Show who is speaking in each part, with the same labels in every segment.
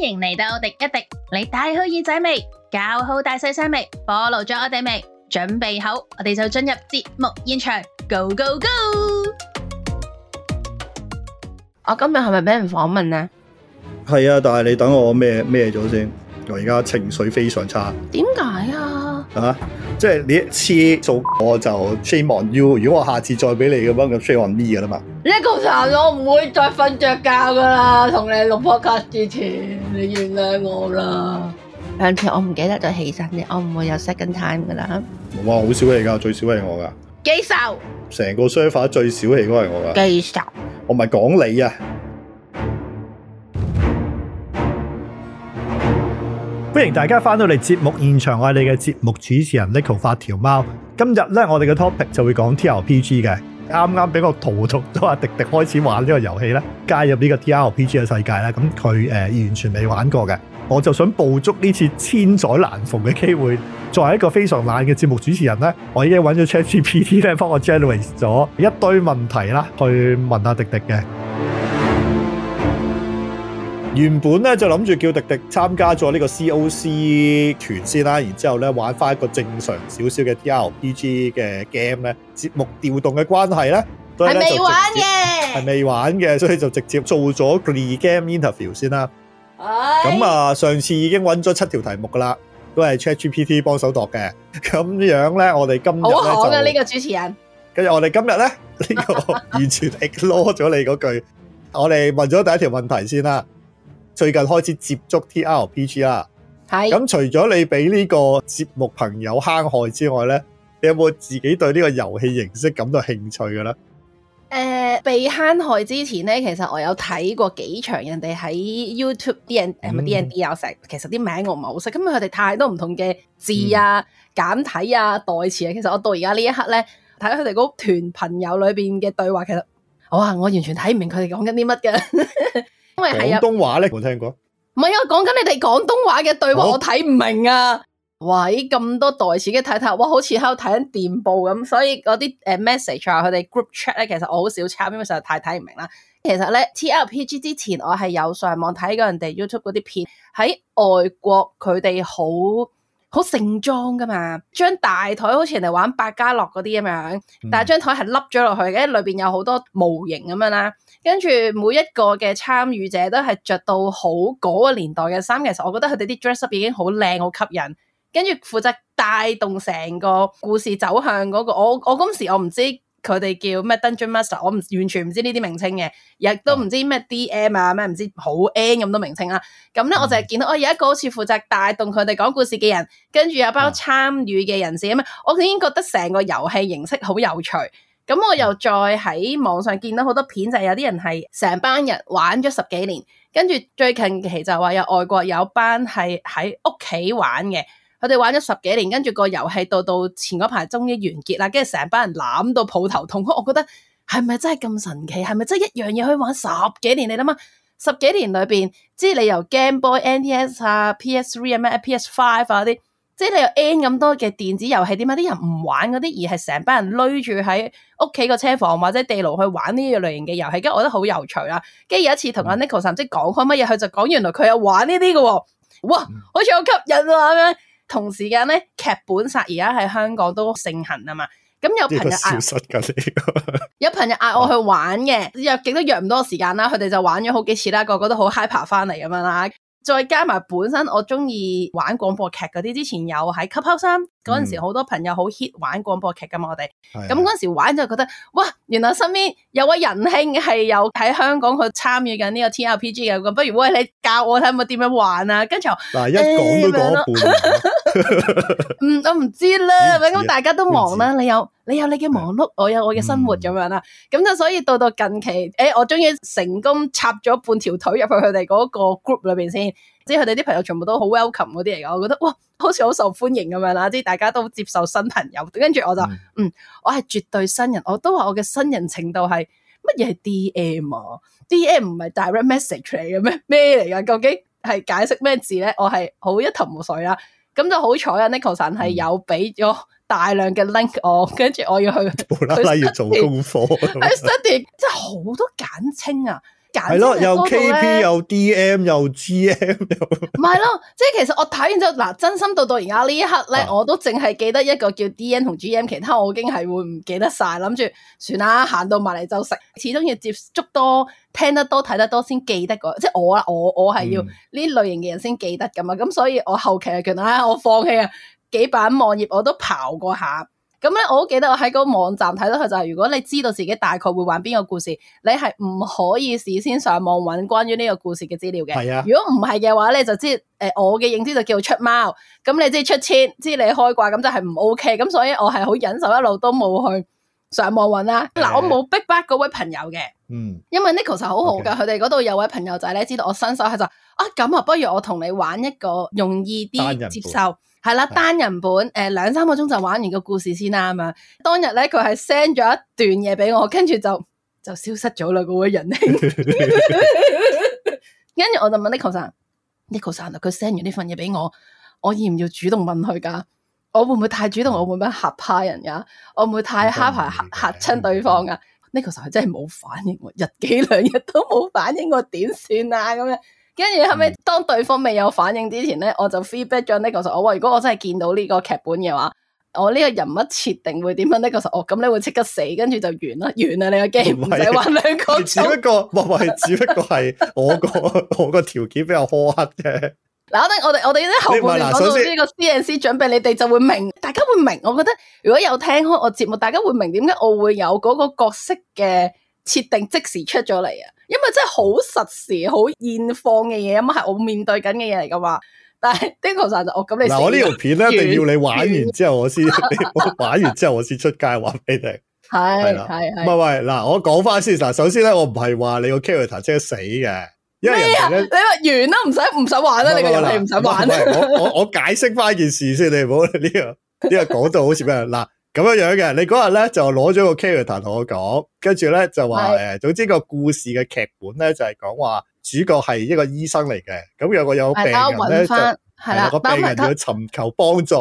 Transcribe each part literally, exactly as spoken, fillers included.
Speaker 1: 迎嚟到廸一廸，你戴好耳仔未？搞好大細聲未？ follow 咗我哋未？準備好，我哋就進入節目現場 ，Go Go Go！
Speaker 2: 我今日係咪俾人訪問啊？
Speaker 3: 係啊，但係你等我咩咩咗先，我而家情緒非常差。
Speaker 2: 點解啊？
Speaker 3: 啊，即係你一次做我就 shame on you， 如果我下次再俾你嘅話，咁 shame on me 噶啦嘛。
Speaker 2: 呢個殘我唔會再瞓着覺噶啦，同你錄 podcast 之前，你原諒我啦。上次我唔記得咗起身啫，我唔會有 second time 噶啦。
Speaker 3: 哇，好少氣噶，最少係我噶。
Speaker 2: 記仇，
Speaker 3: 成個 server 最少氣嗰個係我噶。
Speaker 2: 記仇，
Speaker 3: 我唔係講你啊。歡迎大家翻到嚟節目現場，我係你嘅節目主持人 Neko 發條貓。今日咧，我哋嘅 topic 就會講 T R P G 嘅。啱啱俾我荼毒咗阿迪迪開始玩呢個遊戲咧，加入呢個 T R P G 嘅世界咧，咁佢誒完全未玩過嘅，我就想捕捉呢次千載難逢嘅機會。作為一個非常懶嘅節目主持人咧，我已經揾咗 ChatGPT 咧幫我 generate 咗一堆問題啦，去問阿迪迪嘅。原本咧就諗住叫迪迪參加咗呢個 C O C 團先啦，然之後咧玩翻一個正常少少嘅 T R P G 嘅 game 咧。節目調動嘅關係咧，係
Speaker 2: 未玩嘅，
Speaker 3: 係未玩嘅，所以就直接做咗 pre-game interview 先啦。咁啊，上次已經揾咗七條題目噶啦，都係 ChatGPT 幫手度嘅。咁樣咧，我哋今日咧就
Speaker 2: 好嘅呢個主持人。
Speaker 3: 跟住我哋今日咧呢、這個完全 ignore 咗你嗰句。我哋問咗第一條問題先啦。最近開始接觸 T R P G 啦，係咁除咗你俾呢個節目朋友坑害之外咧，你有冇自己對呢個遊戲形式感到興趣嘅咧？誒、
Speaker 2: 呃，被坑害之前咧，其實我有睇過幾場人哋喺 YouTube 啲人誒，咪 D and D 有成，其實啲名我唔係好識，咁佢哋太多唔同嘅字啊、簡體啊、代詞啊，其實我到而家呢一刻咧，睇佢哋嗰團朋友裏邊嘅對話，其實哇，我完全睇唔明佢哋講緊啲乜嘅。因為係啊，
Speaker 3: 廣東話咧冇聽過，
Speaker 2: 唔係啊，講緊你哋廣東話嘅對話，我睇唔明啊！喂，咁多代詞嘅睇睇，哇，好似喺度睇緊電報咁，所以嗰啲誒 message 啊，佢哋 group chat 咧，其實我好少參，因為實在太睇唔明啦。其實咧 T R P G 之前我係有上網睇過人哋 YouTube 嗰啲片，喺外國佢哋好好盛裝噶嘛，張大台好似人哋玩百家樂嗰啲咁樣，但係張台係凹咗落去嘅，裏邊有好多模型咁樣啦。跟住每一個嘅參與者都係着到好嗰個年代嘅衫，其實我覺得佢哋啲 dress up 已經好靚好吸引，跟住負責帶動成個故事走向嗰個，我我嗰時我唔知佢哋叫咩 Dungeon Master， 我唔完全唔知呢啲名稱嘅，亦都唔知咩 D M 啊咩唔知好 N 咁多名稱啦。咁咧我就係見到我有一個好似負責帶動佢哋講故事嘅人，跟住有包參與嘅人士咁啊，我已經覺得成個遊戲形式好有趣。咁我又再喺網上見到好多片，就係有啲人係成班人玩咗十幾年，跟住最近期就話有外國有班係喺屋企玩嘅，佢哋玩咗十幾年，跟住個遊戲到到前嗰排終於完結啦，跟住成班人攬到抱頭痛哭，我覺得係咪真係咁神奇？係咪真係一樣嘢可以玩十幾年？你諗下，十幾年裏邊，即係你由 Game Boy、N D S 啊、P S Three 啊、咩 P S Five 啊啲。即係你有 N 咁多嘅電子遊戲，點解啲人唔玩嗰啲，而係成班人攏住喺屋企個車房或者地牢去玩呢個類型嘅遊戲？跟住我覺得好有趣啦。跟住有一次同阿 Neko 甚至講開乜嘢，佢就講原來佢有玩呢啲嘅喎，哇，好似好吸引喎咁樣。同時間咧，劇本殺而家喺香港都盛行啊嘛。咁有朋友
Speaker 3: 消失㗎呢個，
Speaker 2: 有朋友嗌我去玩嘅，約極都約唔多時間啦。佢哋就玩咗好幾次啦，個個都好 hyper 翻嚟咁樣啦。再加埋本身我中意玩廣播劇嗰啲，之前有喺 Clubhouse 嗰陣時，好多朋友好 hit 玩廣播劇噶嘛，我哋咁嗰陣時玩就覺得，哇！原來身邊有位仁兄係有喺香港去參與緊呢個 T R P G 嘅，咁不如喂你教我睇下點樣玩啊？跟住
Speaker 3: 嗱，一講都講一半，
Speaker 2: 嗯，我唔知啦，咁大家都忙啦，你有你有你嘅忙碌，我有我嘅生活咁樣啦，咁就所以到到近期，誒，我終於成功插咗半條腿入去佢哋嗰個 group 裏邊先。即係佢哋啲朋友全部都好 welcome 嗰啲嚟㗎，我覺得哇，好似好受歡迎咁樣啦，即係大家都接受新朋友，跟住我就嗯，嗯，我係絕對新人，我都話我嘅新人程度係乜嘢係 D M 啊 ？D M 唔係 direct message 嚟嘅咩？咩嚟㗎？究竟係解釋咩字咧？我係好一頭霧水啦。咁就好彩啊 Neko 神係有俾咗大量嘅 link 我，跟住我要去
Speaker 3: 無啦啦要做功課，
Speaker 2: 去 study，即係好多簡稱啊！
Speaker 3: 係咯，又 K P 又 D M 又 G M 又
Speaker 2: 唔係咯，即係其實我睇完之後，嗱，真心到到而家呢一刻咧，啊、我都淨係記得一個叫 D M 同 G M， 其他我已經係會唔記得晒，諗住算啦，行到埋嚟就食，始終要接觸多、聽得多、睇得多先記得個，即係我啦，我我係要呢類型嘅人先記得噶嘛，咁、嗯、所以我後期係覺得啊，我放棄啊，幾版網頁我都刨過下。咁咧，我好記得我喺個網站睇到佢就係，如果你知道自己大概會玩邊個故事，你係唔可以事先上網揾關於呢個故事嘅資料嘅。係啊，如果唔係嘅話咧，就知誒、呃、我嘅認知就叫出貓，咁你知出千，知你開掛，咁就係唔 OK。咁所以我係好忍受一路都冇去上網揾啦。嗱、啊，我冇逼迫嗰位朋友嘅，嗯，因為 Nicholas 係好好噶，佢哋嗰度有位朋友仔咧，知道我新手，佢就啊咁啊，不如我同你玩一個容易啲接受。係啦，單人本，誒、呃、兩三個鐘就玩完個故事先啦咁樣。當日咧，佢係 send 咗一段嘢俾我，跟住就就消失咗啦，嗰位仁兄。跟住我就問 Nicholas，Nicholas 佢 send 完呢份嘢俾我，我要唔要主動問佢噶？我會唔會太主動？我會唔會嚇怕人噶？我唔會太蝦排嚇嚇親對方噶？Nicholas 佢真係冇反應，日幾兩日都冇反應，我點算啊？咁樣。跟住後尾，當對方未有反應之前咧，我就 feedback 咗 Nicholas。我話如果我真係見到呢個劇本嘅話，我呢個人物設定會點樣？Nicholas，哦，咁你會即刻死，跟住就完啦，完啦，你個 game 唔使玩兩個鐘。只不過，唔係，只不過係我個我個條件比較苛刻啫。嗱，我哋我哋我哋呢後半段講到呢個 C N C 準備，你哋就會明，大家會明。我覺得如果有聽開我節目，大家會明點解我會有嗰個角色嘅設定即時出咗嚟啊！因為真係好實時、好現況嘅嘢，咁係我面對緊嘅嘢嚟噶嘛。但係 Nicholas 就我咁你嗱，我呢條片咧一定要你玩完之後我先，我玩完之後我先出街話俾你。係係係。唔係喂，嗱，我講翻先嗱，首先咧我唔係話你個 character 即係死嘅，因為人哋咧你話完啦，唔使唔使玩啦，你個遊戲唔使玩。我我我解釋翻件事先，你唔好呢個呢個講到好似咩嗱。咁樣樣嘅，你嗰日咧就攞咗個 character 同我講，跟住咧就話誒，總之個故事嘅劇本咧就係講話主角係一個醫生嚟嘅，咁有個有病人咧就係啦，個病人要尋求幫助，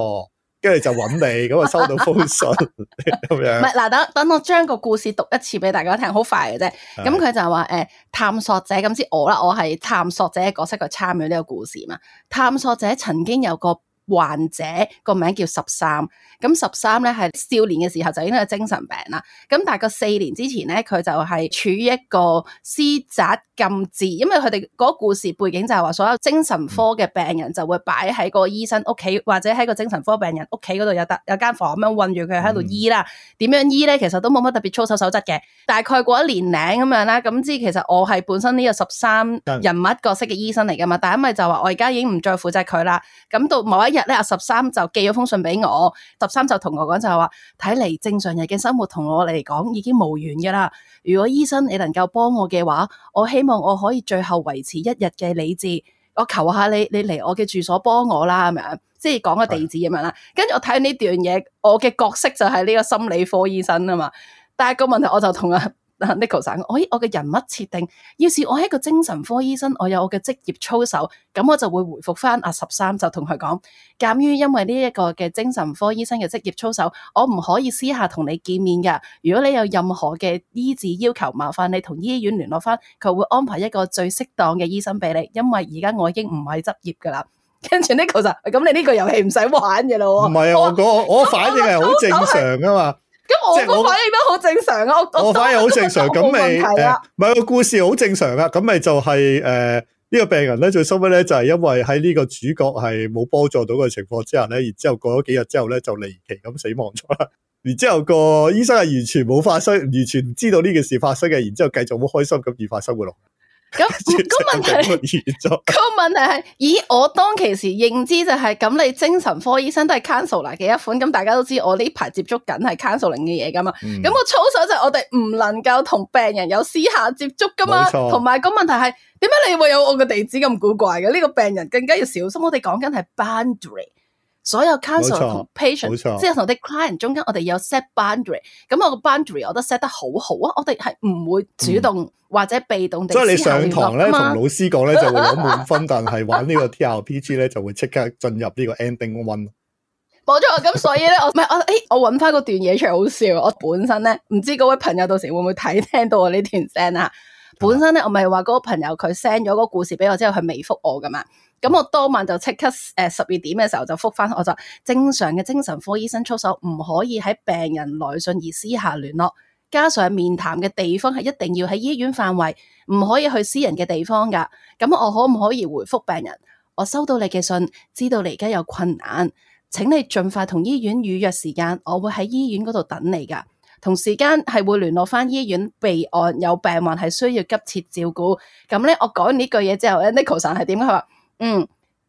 Speaker 2: 跟住就揾你，咁啊收到封信咁樣。唔係嗱，等等我將個故事讀一次俾大家聽，好快嘅啫。咁佢就話誒，探索者咁知我啦，我係探索者嘅角色去參與呢個故事嘛。探索者曾經有個患者個名叫十三，咁十三咧係少年嘅時候就已經係精神病啦。咁大概四年之前咧，佢就係處於一個私宅禁治，因為佢哋嗰個故事背景就係話，所有精神科嘅病人就會擺喺個醫生屋企，或者喺個精神科病人屋企嗰度有得有間房咁樣韞住佢喺度醫啦。點、嗯、樣醫咧？其實都冇乜特別操守守則嘅。大概過一年零咁樣啦，咁知其實我係本身呢個十三人物角色嘅醫生嚟噶嘛，但係因為就話我而家已經唔再負責佢啦。咁到某一日咧，阿十三就寄咗封信俾我，十三就同我講就係話，睇嚟正常人嘅生活同我嚟講已經無緣噶啦。如果醫生你能夠幫我嘅話，我希望我可以最後維持一日嘅理智。我求下你，你嚟我嘅住所幫我啦，咁樣即係講個地址咁樣啦。跟住我睇呢段嘢，我嘅角色就係呢個心理科醫生啊嘛。但係個問題我就同阿 Nicholas 講，我我嘅人物設定，要是我係一個精神科醫生，我有我嘅職業操守，咁我就會回復翻阿十三，就同佢講，鑒於因為呢一個嘅精神科醫生嘅職業操守，我唔可以私下同你見面噶。如果你有任何嘅醫治要求，麻煩你同醫院聯絡翻，佢會安排一個最適當嘅醫生俾你。因為而家我已經唔係執業噶啦。跟住 Nicholas 就咁，你呢個遊戲唔使玩嘅咯。唔係啊，我我我反應係好正常噶嘛。咁我個反應都好正常啊！我我反應好正常，咁咪誒，唔係個故事好正常啊！咁咪就係誒呢個病人咧，最收尾咧就係因為喺呢個主角係冇幫助到嘅情況之下咧，然之後過咗幾日之後咧就離奇咁死亡咗啦。然之後個醫生係完全冇發生，完全唔知道呢件事發生嘅，然之後繼續好開心咁愉快生活落。咁個問題，個問題係，咦？我當其時認知就係、是、咁，你精神科醫生都係 counselor 嘅一款，咁大家都知我呢排接觸緊係 counseling 嘅嘢噶嘛。咁、嗯、個操守就係我哋唔能夠同病人有私下接觸噶嘛。同埋個問題係，點解你會有我個地址咁古怪嘅？呢、這個病人更加要小心。我哋講緊係 boundary。所有 counselor 同 patient，即係同啲 client 中間，我哋有 set boundary。咁我個 boundary 我都 set 得好好啊！我哋係唔會主動或者被動地、嗯。所以你上堂咧，同老師講咧，就會攞滿分，但係玩呢個 T R P G 咧，就會即刻進入呢個 ending one。冇錯，咁所以咧，我唔係我，誒，我搵翻嗰段嘢出嚟好笑。我本身咧，唔知嗰位朋友到時會唔會睇聽到我呢段聲啊？本身咧我咪話嗰個朋友佢 send 咗個故事俾我之後，佢未覆我噶嘛。咁我當晚就即刻誒十二點嘅時候就覆返，我就正常嘅精神科醫生操守唔可以喺病人來信而私下聯絡，加上面談嘅地方係一定要喺醫院範圍，唔可以去私人嘅地方㗎。咁我可唔可以回覆病人？我收到你嘅信，知道你而家有困難，請你盡快同醫院預約時間，我會喺醫院嗰度等你㗎。同時間係會聯絡返醫院備案，有病患係需要急切照顧。咁咧，我講完呢句嘢之後咧 ，Nicholson 係點？佢話嗯，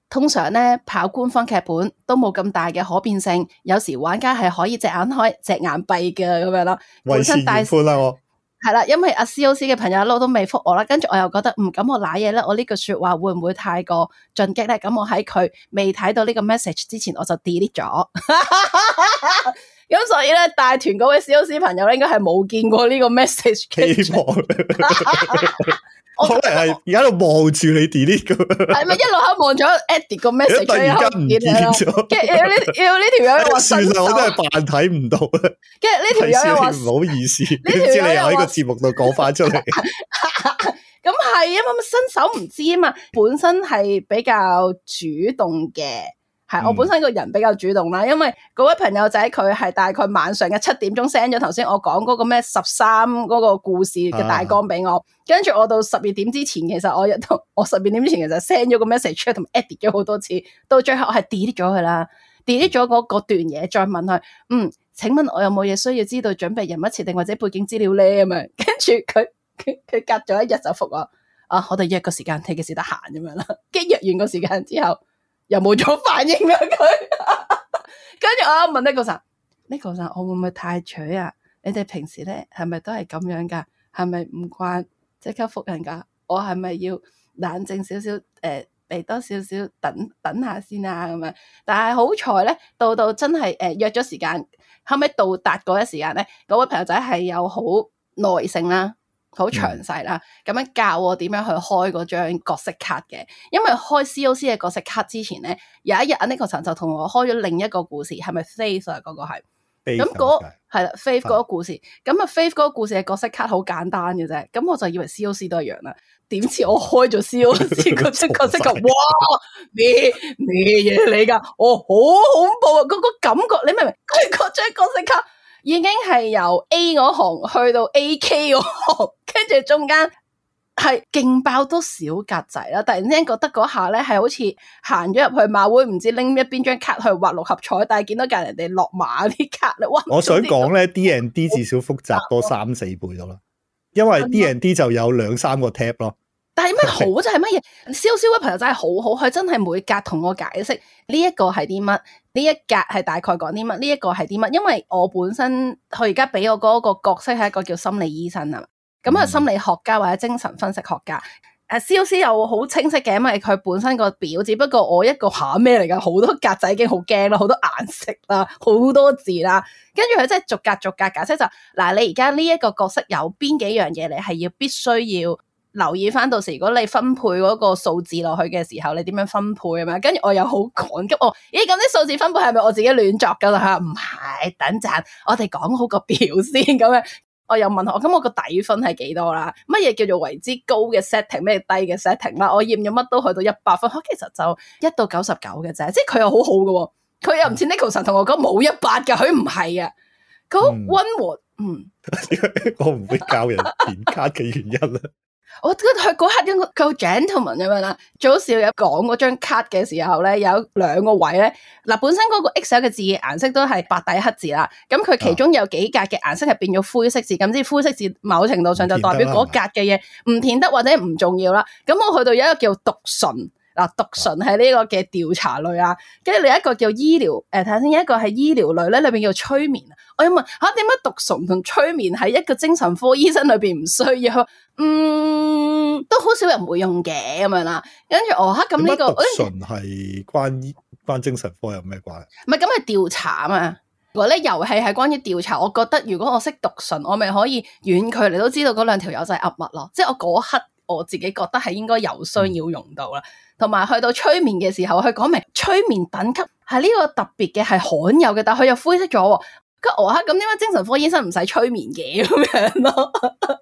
Speaker 2: 通常咧跑官方劇本都冇咁大嘅可變性，有時玩家係可以隻眼開隻眼閉嘅咁樣咯。
Speaker 3: 為時已寬啦，我
Speaker 2: 係啦，因為阿 C O C 嘅朋友一路都未覆我啦，跟住我又覺得唔咁我瀨嘢咧，我呢句說話會唔會太過進擊咧？咁我喺佢未睇到呢個 message 之前，我就 delete 咗。咁所以咧，帶團嗰位 C O C 朋友咧，應該係冇見過呢個 message 嘅。
Speaker 3: 希望可能係而家喺度望住你 delete 噶，
Speaker 2: 係咪一路喺望咗 Eddie 個 message？
Speaker 3: 突然間唔見咗，
Speaker 2: 跟住呢要呢條友又話
Speaker 3: 算啦，我真係扮睇唔到啦。
Speaker 2: 跟住呢條友又話
Speaker 3: 唔好意思，點知你又喺個節目度講翻出嚟？
Speaker 2: 咁係啊嘛，新手唔知啊嘛，本身係比較主動嘅。係，我本身個人比較主動啦，因為嗰位朋友仔佢係大概晚上嘅七點鐘 send 咗頭先我講嗰個咩十三嗰個故事嘅大綱俾我，跟住、啊、我到十二點之前，其實我一到我十二點之前其實 send 咗個 message 同 edit 咗好多次，到最後我係 delete 咗佢啦 delete 咗嗰嗰段嘢，再問佢，嗯，請問我有冇嘢需要知道準備人物設定或者背景資料咧咁樣，跟住佢佢佢隔咗一日就覆我，啊，我哋約個時間，睇幾時得閒咁樣啦，跟住約完個時間之後。又冇咗反應啦佢，跟住我問 Nicholson，Nicholson 我會唔會太取啊？你哋平時咧係咪都係咁樣噶？係咪唔慣即刻覆人噶？我係咪要冷靜少少？誒、呃，俾多少少等等下先啊咁樣。但係好彩咧，到到真係誒、呃、約咗時間，後尾到達嗰一時間咧，嗰位朋友仔係有好耐性啦。好詳細啦，咁樣教我點樣去開嗰張角色卡嘅。因為開 C O C 嘅角色卡之前咧，有一日阿 Nicholson 就同我開咗另一個故事，係咪 Faith 啊？嗰、那個係，咁嗰係啦 Faith 嗰個故事，咁啊 Faith 嗰個故事嘅角色卡好簡單嘅啫，咁我就以為 C O C 都係一樣啦。點知我開咗 C O C 嗰張角色卡，哇咩咩嘢嚟噶？哦，好恐怖啊！嗰、那個感覺，你明唔明？佢嗰張角色卡。已經係由 A 嗰行去到 A K 嗰行，跟住中間係勁爆多小格仔啦！突然之間覺得嗰下咧係好似行咗入去馬會，唔知拎一邊張卡去畫六合彩，但係見到隔人哋落馬啲卡咧，哇！
Speaker 3: 我想講咧 ，D and D 至少複雜多三四倍到啦，因為 D and D 就有兩三個 tab 咯。但係咩好就係乜嘢？燒燒嘅朋友真係好好，佢真係每格同我解釋呢一個係啲乜，呢一格係大概講啲乜，呢一個係啲乜。因為我本身佢而家俾我嗰個角色係一個叫心理醫生啊，咁係心理學家或者精神分析學家。誒，C O C 又好清晰嘅，因為佢本身個表，只不過我一個下咩嚟噶，好多格仔已經好驚啦，好多顏色啦，好多字啦，跟住佢真係逐格逐格解釋就嗱，你而家呢一個角色有邊幾樣嘢，你係要必須要。留意翻到時，如果你分配嗰個數字落去嘅時候，你點樣分配啊嘛？跟住我又好趕急，我咦咁啲數字分配係咪我自己亂作噶啦？唔係，等陣我哋講好個表先咁樣。我又問我，咁我個底分係幾多啦？乜嘢叫做為之高嘅 setting， 咩低嘅 setting 啦？我驗咗乜都去到一百分，其實就一到九十九嘅啫。即係佢又好好嘅，佢又唔似 Nicholson 同我講冇一百噶，佢唔係啊，佢好溫和。嗯，嗯我唔會教人填卡嘅原因啦。
Speaker 2: 我覺得佢嗰刻應該夠 gentleman 咁樣啦。早少有講嗰張卡嘅時候咧，有兩個位咧。嗱，本身嗰個 Excel 嘅字顏色都係白底黑字啦。咁佢其中有幾格嘅顏色係變咗灰色字，咁即係灰色字某程度上就代表嗰格嘅嘢唔填得或者唔重要啦。咁我去到有一個叫讀唇。嗱，讀唇係呢個嘅調查類啊，跟住另一個叫醫療，誒睇下先，一個係醫療類咧，裏邊叫催眠。我要問吓，點解讀唇同催眠喺一個精神科醫生裏邊唔需要？嗯，都好少人會用嘅咁樣啦。跟住我吓咁呢個
Speaker 3: 讀唇係關關精神科有咩關係？
Speaker 2: 唔係咁係調查啊嘛。如果咧遊戲係關於調查，我覺得如果我識讀唇，我咪可以遠距離都知道嗰兩條友仔係噏乜咯。即係我嗰刻我自己覺得係應該有需要用到啦。同埋去到催眠嘅時候，佢講明催眠等級係呢個特別嘅，係罕有嘅，但係佢又灰色咗。咁我嚇咁點解精神科醫生唔使催眠嘅咁樣咯？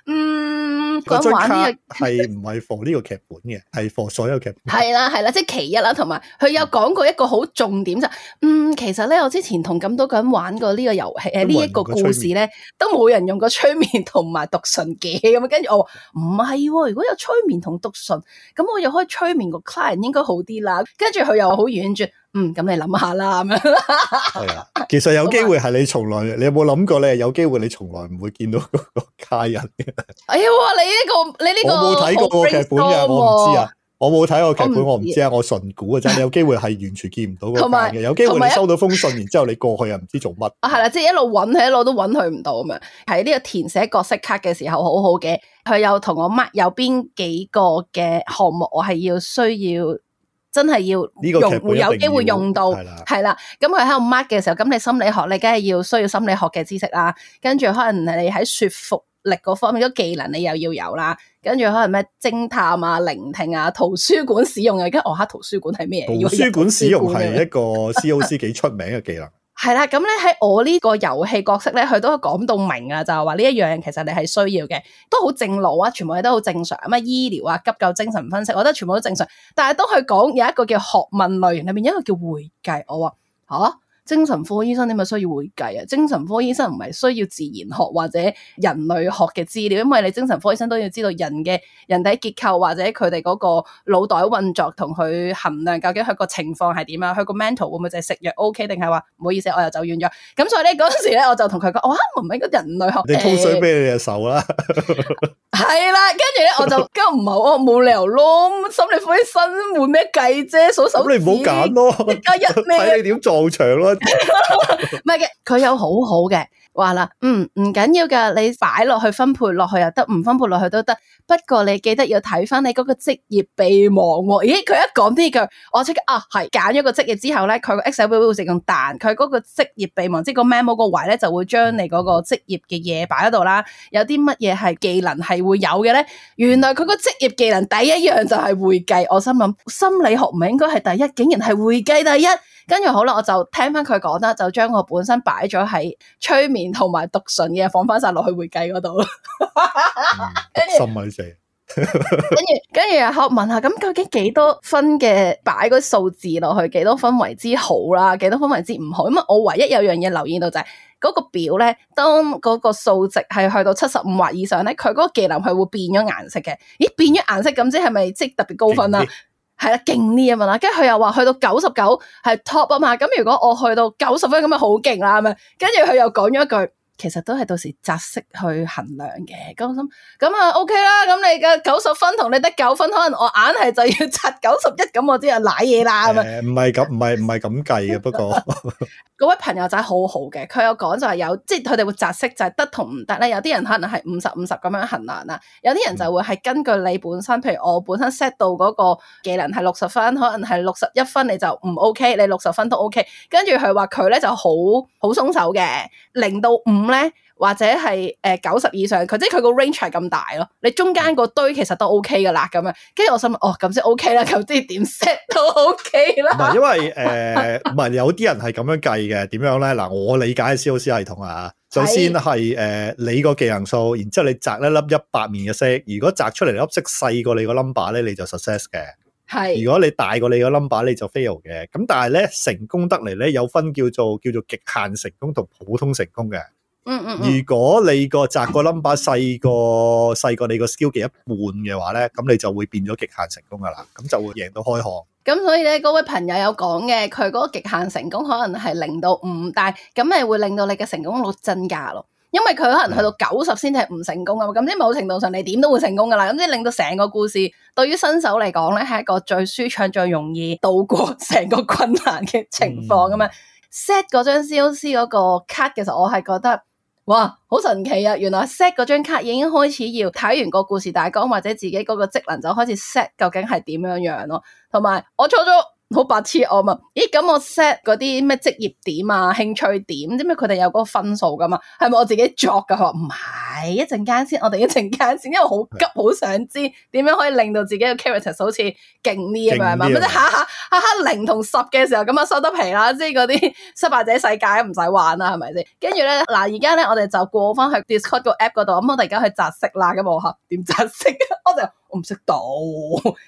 Speaker 2: 嗯，嗯，咁玩呢
Speaker 3: 個係唔係 for 呢個劇本嘅，係 for 所有劇本。
Speaker 2: 係啦係啦，即係其一啦，同埋佢有講過一個好重點就，嗯，其實咧我之前同咁多個人玩過呢個遊戲誒呢一個故事咧，都冇人用過催眠同埋讀唇嘅咁，跟住我話唔係，如果有催眠同讀唇，咁我又可以催眠個 client 應該好啲啦。跟住佢又好婉轉，嗯，咁你諗下啦咁樣。
Speaker 3: 係啊，其實有機會係你從來，你有冇諗過咧？有機會你從來唔會見到嗰個家人嘅。哎
Speaker 2: 呀，你呢個你呢個
Speaker 3: 我冇睇過個劇本嘅，我唔知啊。我冇睇過劇本，我唔知啊。我純估嘅啫。你有機會係完全見唔到個家嘅，有機會你收到封信，然之後你過去又唔知做乜。
Speaker 2: 啊，係啦，即係一路揾佢，一路都揾佢唔到咁樣。喺呢個填寫角色卡嘅時候，好好嘅。佢有同我 mark 有邊幾個嘅項目，我係要需要。真係要用會有機會用到，係啦。咁佢喺度 mark 嘅時候，咁你心理學你梗係要需要心理學嘅知識啦。跟住可能你喺說服力嗰方面，啲技能你又要有啦。跟住可能咩偵探啊、聆聽啊、圖書館使用啊。而家我下圖書館係咩？
Speaker 3: 圖書館使用係一個 C O C 幾出名嘅技能。
Speaker 2: 係啦，咁咧喺我呢個遊戲角色咧，佢都講到明啊，就係話呢一樣其實你係需要嘅，都好正路啊，全部嘢都好正常。咩醫療啊、急救、精神分析，我覺得全部都正常。但係當佢講有一個叫學問類型裏面，有一個叫會計，我話吓。啊精神科醫生點解需要會計啊？精神科醫生唔係需要自然學或者人類學嘅資料，因為你精神科醫生都要知道人嘅人體結構或者佢哋嗰個腦袋運作同佢衡量究竟佢個情況係點啊？佢個 mental 會唔會就係食藥 OK 定係話唔好意思我又走遠咗？咁所以咧嗰陣時咧我就同佢講，哇唔係個人類學，
Speaker 3: 你通水俾你隻手啦。
Speaker 2: 係啦，跟住咧我就咁唔係我冇理由咯，心理科醫生換咩計啫？數手指，
Speaker 3: 咁你唔好揀咯，
Speaker 2: 加一咩？
Speaker 3: 睇你點撞牆咯。
Speaker 2: 唔係嘅，佢有好好嘅話啦，嗯，唔緊要噶，你擺落去分配落去又得，唔分配落去都得。不過你記得要睇翻你嗰個職業備忘喎。咦，佢一講呢句，我即刻啊，係揀咗個職業之後咧，佢個 Excel 會會自動彈，佢嗰個職業備忘，即係個 memo 個位咧，就會將你嗰個職業嘅嘢擺喺度啦。有啲乜嘢係技能係會有嘅咧？原來佢個職業技能第一樣就係會計。我心諗心理學唔係應該係第一，竟然係會計第一。跟住好啦，我就聽翻佢講啦，就將我本身擺咗喺催眠同埋讀唇嘅放翻晒落去會計嗰度。
Speaker 3: 心啊你死！
Speaker 2: 跟住跟住又問下，咁究竟幾多分嘅擺嗰數字落去，幾多分為之好啦？幾多分為之唔好？咁啊，我唯一有樣嘢留意到就係、是、嗰、那個表咧，當嗰個數值係去到七十五或以上咧，佢嗰個技能係會變咗顏色嘅。咦，變咗顏色咁即係咪即係特別高分啊？係啦，勁啲啊嘛啦，跟住佢又話去到九十九係 top 啊嘛，咁如果我去到九十分咁咪好勁啦，係咪？跟住佢又講咗一句，其實都係到時擇色去衡量嘅。咁我心咁啊 OK 啦，咁你嘅九十分同你得九分，可能我硬係就要擇九十一，咁我知係瀨嘢啦，係咪？
Speaker 3: 誒，唔係咁，唔係唔係咁計嘅，不過。
Speaker 2: 嗰位朋友仔好好嘅，佢有講就係有，即係佢哋會擇色就係得同唔得咧。有啲人可能係五十五十咁樣衡量啦，有啲人就會係根據你本身，譬如我本身 set 到嗰個技能係六十分，可能係六十一分你就唔 OK，你六十分都 OK。跟住佢話佢咧就好好鬆手嘅，零到五咧。或者係誒九十以上，佢即係佢個 range 係咁大咯。你中間個堆其實都 OK 噶啦，咁樣。跟住我心諗，哦咁先 OK 啦，咁即係點 set 都 OK 啦。
Speaker 3: 唔係因為誒，唔係有啲人係咁樣計嘅，點樣咧？嗱，我理解嘅 C O C 系統啊，首先係誒、呃、你個技能數，然之後你擲一粒一百面嘅色，如果擲出嚟粒色細過你個 number 咧，你就 success 嘅。係，如果你大過你個 number 你就 fail 嘅。咁但係咧成功得嚟咧有分叫做叫做極限成功同普通成功嘅。
Speaker 2: 嗯嗯，
Speaker 3: 如果你個擲個 number 細過細過你個 skill 嘅一半嘅話咧，咁你就會變咗極限成功噶啦，咁就會贏到開行。
Speaker 2: 咁所以咧，嗰位朋友有講嘅，佢嗰個極限成功可能係零到五，但係咁咪會令到你嘅成功率增加咯。因為佢可能去到九十先至係唔成功啊嘛，咁即係某程度上你點都會成功噶啦。咁即係令到成個故事對於新手嚟講咧，係一個最舒暢、最容易度過成個困難嘅情況咁樣。set 嗰張 C O C 嗰個卡嘅時候，我係覺得。哇，好神奇啊！原來 set 嗰張卡已經開始要睇完個故事大綱或者自己嗰個職能就開始 set 究竟係點樣樣咯。同埋我初初好白痴我嘛？咦，咁我 set 嗰啲咩職業點啊、興趣點，知唔知佢哋有嗰個分數噶嘛？係咪我自己作噶？佢話唔係，一陣間先，我哋一陣間先，因為好急，好想知點樣可以令到自己嘅 character 好似勁啲咁樣嘛？咁即係下下下下零同十嘅時候咁啊收得皮啦，即係嗰啲失敗者世界唔使玩啦，係咪先？跟住咧嗱，而家咧我哋就過翻去 Discord 個 app 嗰度，咁我哋而家去擇色啦，咁我吓點擇色啊？我就我唔識到，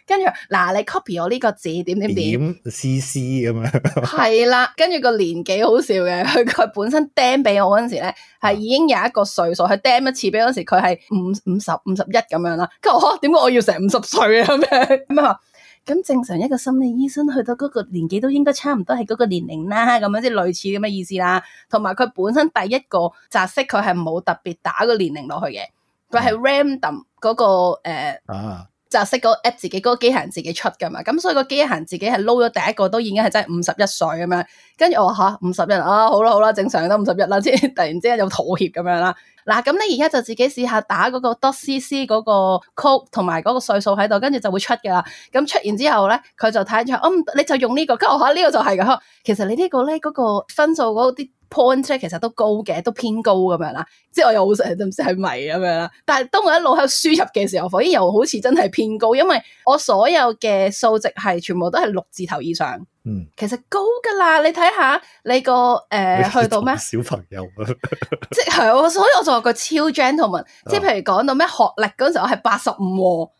Speaker 2: 跟住嗱你 copy 我呢個字點點點。
Speaker 3: C C 咁樣，
Speaker 2: 係啦，跟住個年紀好笑嘅，佢佢本身釘俾我嗰陣時咧，係已經有一個歲數，佢釘一次俾嗰時佢係五五十五十一咁樣啦。跟住我點解我要成五十歲啊？咁樣咁啊？咁正常一個心理醫生去到嗰個年紀都應該差唔多係嗰個年齡啦，咁樣即係類似咁嘅意思啦。同埋佢本身第一個擇色佢係冇特別打個年齡落去嘅，佢係 random 嗰個誒。呃啊就識嗰個 app 自己嗰、嗰個機械人自己出噶嘛，咁所以個機械人自己係撈咗第一個都已經係真係五十一歲咁樣，跟住我話吓五十一啊，好啦好啦，正常都五十一啦，即係突然之間有妥協咁樣啦。嗱，咁你而家就自己試下打嗰個 dot cc 嗰個 code 同埋嗰個歲數喺度，跟住就會出噶啦。咁出完之後咧，佢就睇咗，嗯，你就用呢、這個，跟住我話呢個就係噶。其實你個呢個咧嗰個分數嗰啲 point 咧，其實都高嘅，都偏高咁樣啦。即係我又好成日都唔知係咪咁樣啦。但係當我一路喺度輸入嘅時候，發現又好似真係偏高，因為我所有嘅數值係全部都係六字頭以上。嗯，其實高噶啦，你睇下你個誒、呃、去到咩
Speaker 3: 小朋友啊，
Speaker 2: 即係我，所以我就話個超 gentleman，、啊、即係譬如講到咩學歷嗰陣時候，我係八十五，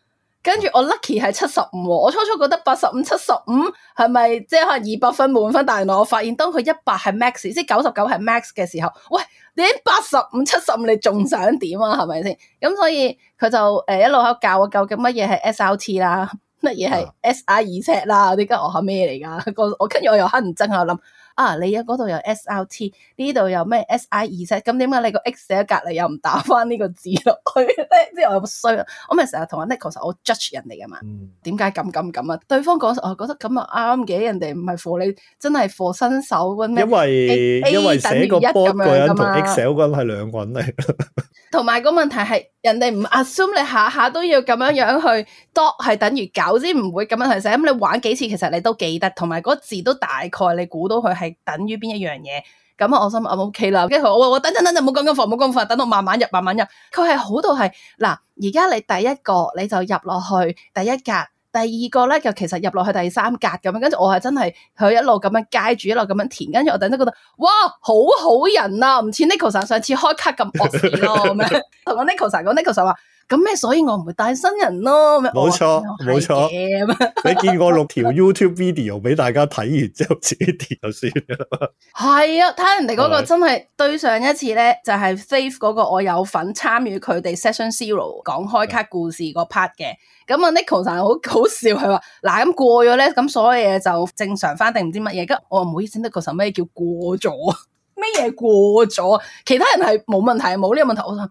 Speaker 2: 跟住我 lucky 係七十五，我初初覺得八十五、七十五係咪即係可能二百分滿分，但係原來我發現當佢一百係 max， 即係九十九係 max 嘅時候，喂，你八十五、七十五你仲想點啊？係咪先？咁所以佢就誒、呃、一路喺度教我究竟乜嘢係 S R T 啦。乜嘢係 S I 二 set 啦？啲跟我係咩嚟噶？我跟住我又黑人憎喺度諗啊！你嗰度有 S R T， 呢度有咩 S I 二 set？咁點解你個 X 寫喺隔籬又唔打翻呢個字落去咧？即係我有衰啊！我咪成日同阿 Nicholas 我 judge 人哋噶嘛？點解咁咁咁啊？對方講我覺得咁啊啱嘅，人哋唔係 for 你，真係 for 新手嗰咩？
Speaker 3: 因為 A, A 因為寫個 board 個人同 Excel 嗰人係兩個人嚟。
Speaker 2: 同埋個問題係，人哋唔 assume 你下下都要咁樣樣去 dot 係等於九先唔會咁樣去寫，咁你玩幾次其實你都記得，同埋嗰字都大概你估到佢係等於邊一樣嘢。咁啊，我心諗 OK 啦，跟住我我等等等等，唔好講咁快，唔好講咁快，等我慢慢入，慢慢入。佢係好到係嗱，而家你第一個你就入落去第一格。第二個咧就其實入落去第三格咁樣，跟住我係真係佢一路咁樣街住，一路咁樣填，跟住我突然間覺得哇，好好人啊，唔似 Nicholas 上次開卡咁惡死咯咁樣，同我 Nicholas 講 Nicholas 話咁咩，所以我唔會帶新人咯。
Speaker 3: 冇錯冇錯，你見過六條 YouTube video 俾大家睇完之後自己填就算啦。係
Speaker 2: 啊，睇人哋嗰個真係對上一次咧，就係 Faith 嗰個我有份參與佢哋 Session Zero 講開卡故事個 part 嘅。咁啊 Nicholas 好好笑，佢話嗱咁過咗咧，咁所有嘢就正常翻定唔知乜嘢？咁我話唔好意思 Nicholas 咩叫過咗？咩嘢過咗？其他人係冇問題，冇呢個問題。我想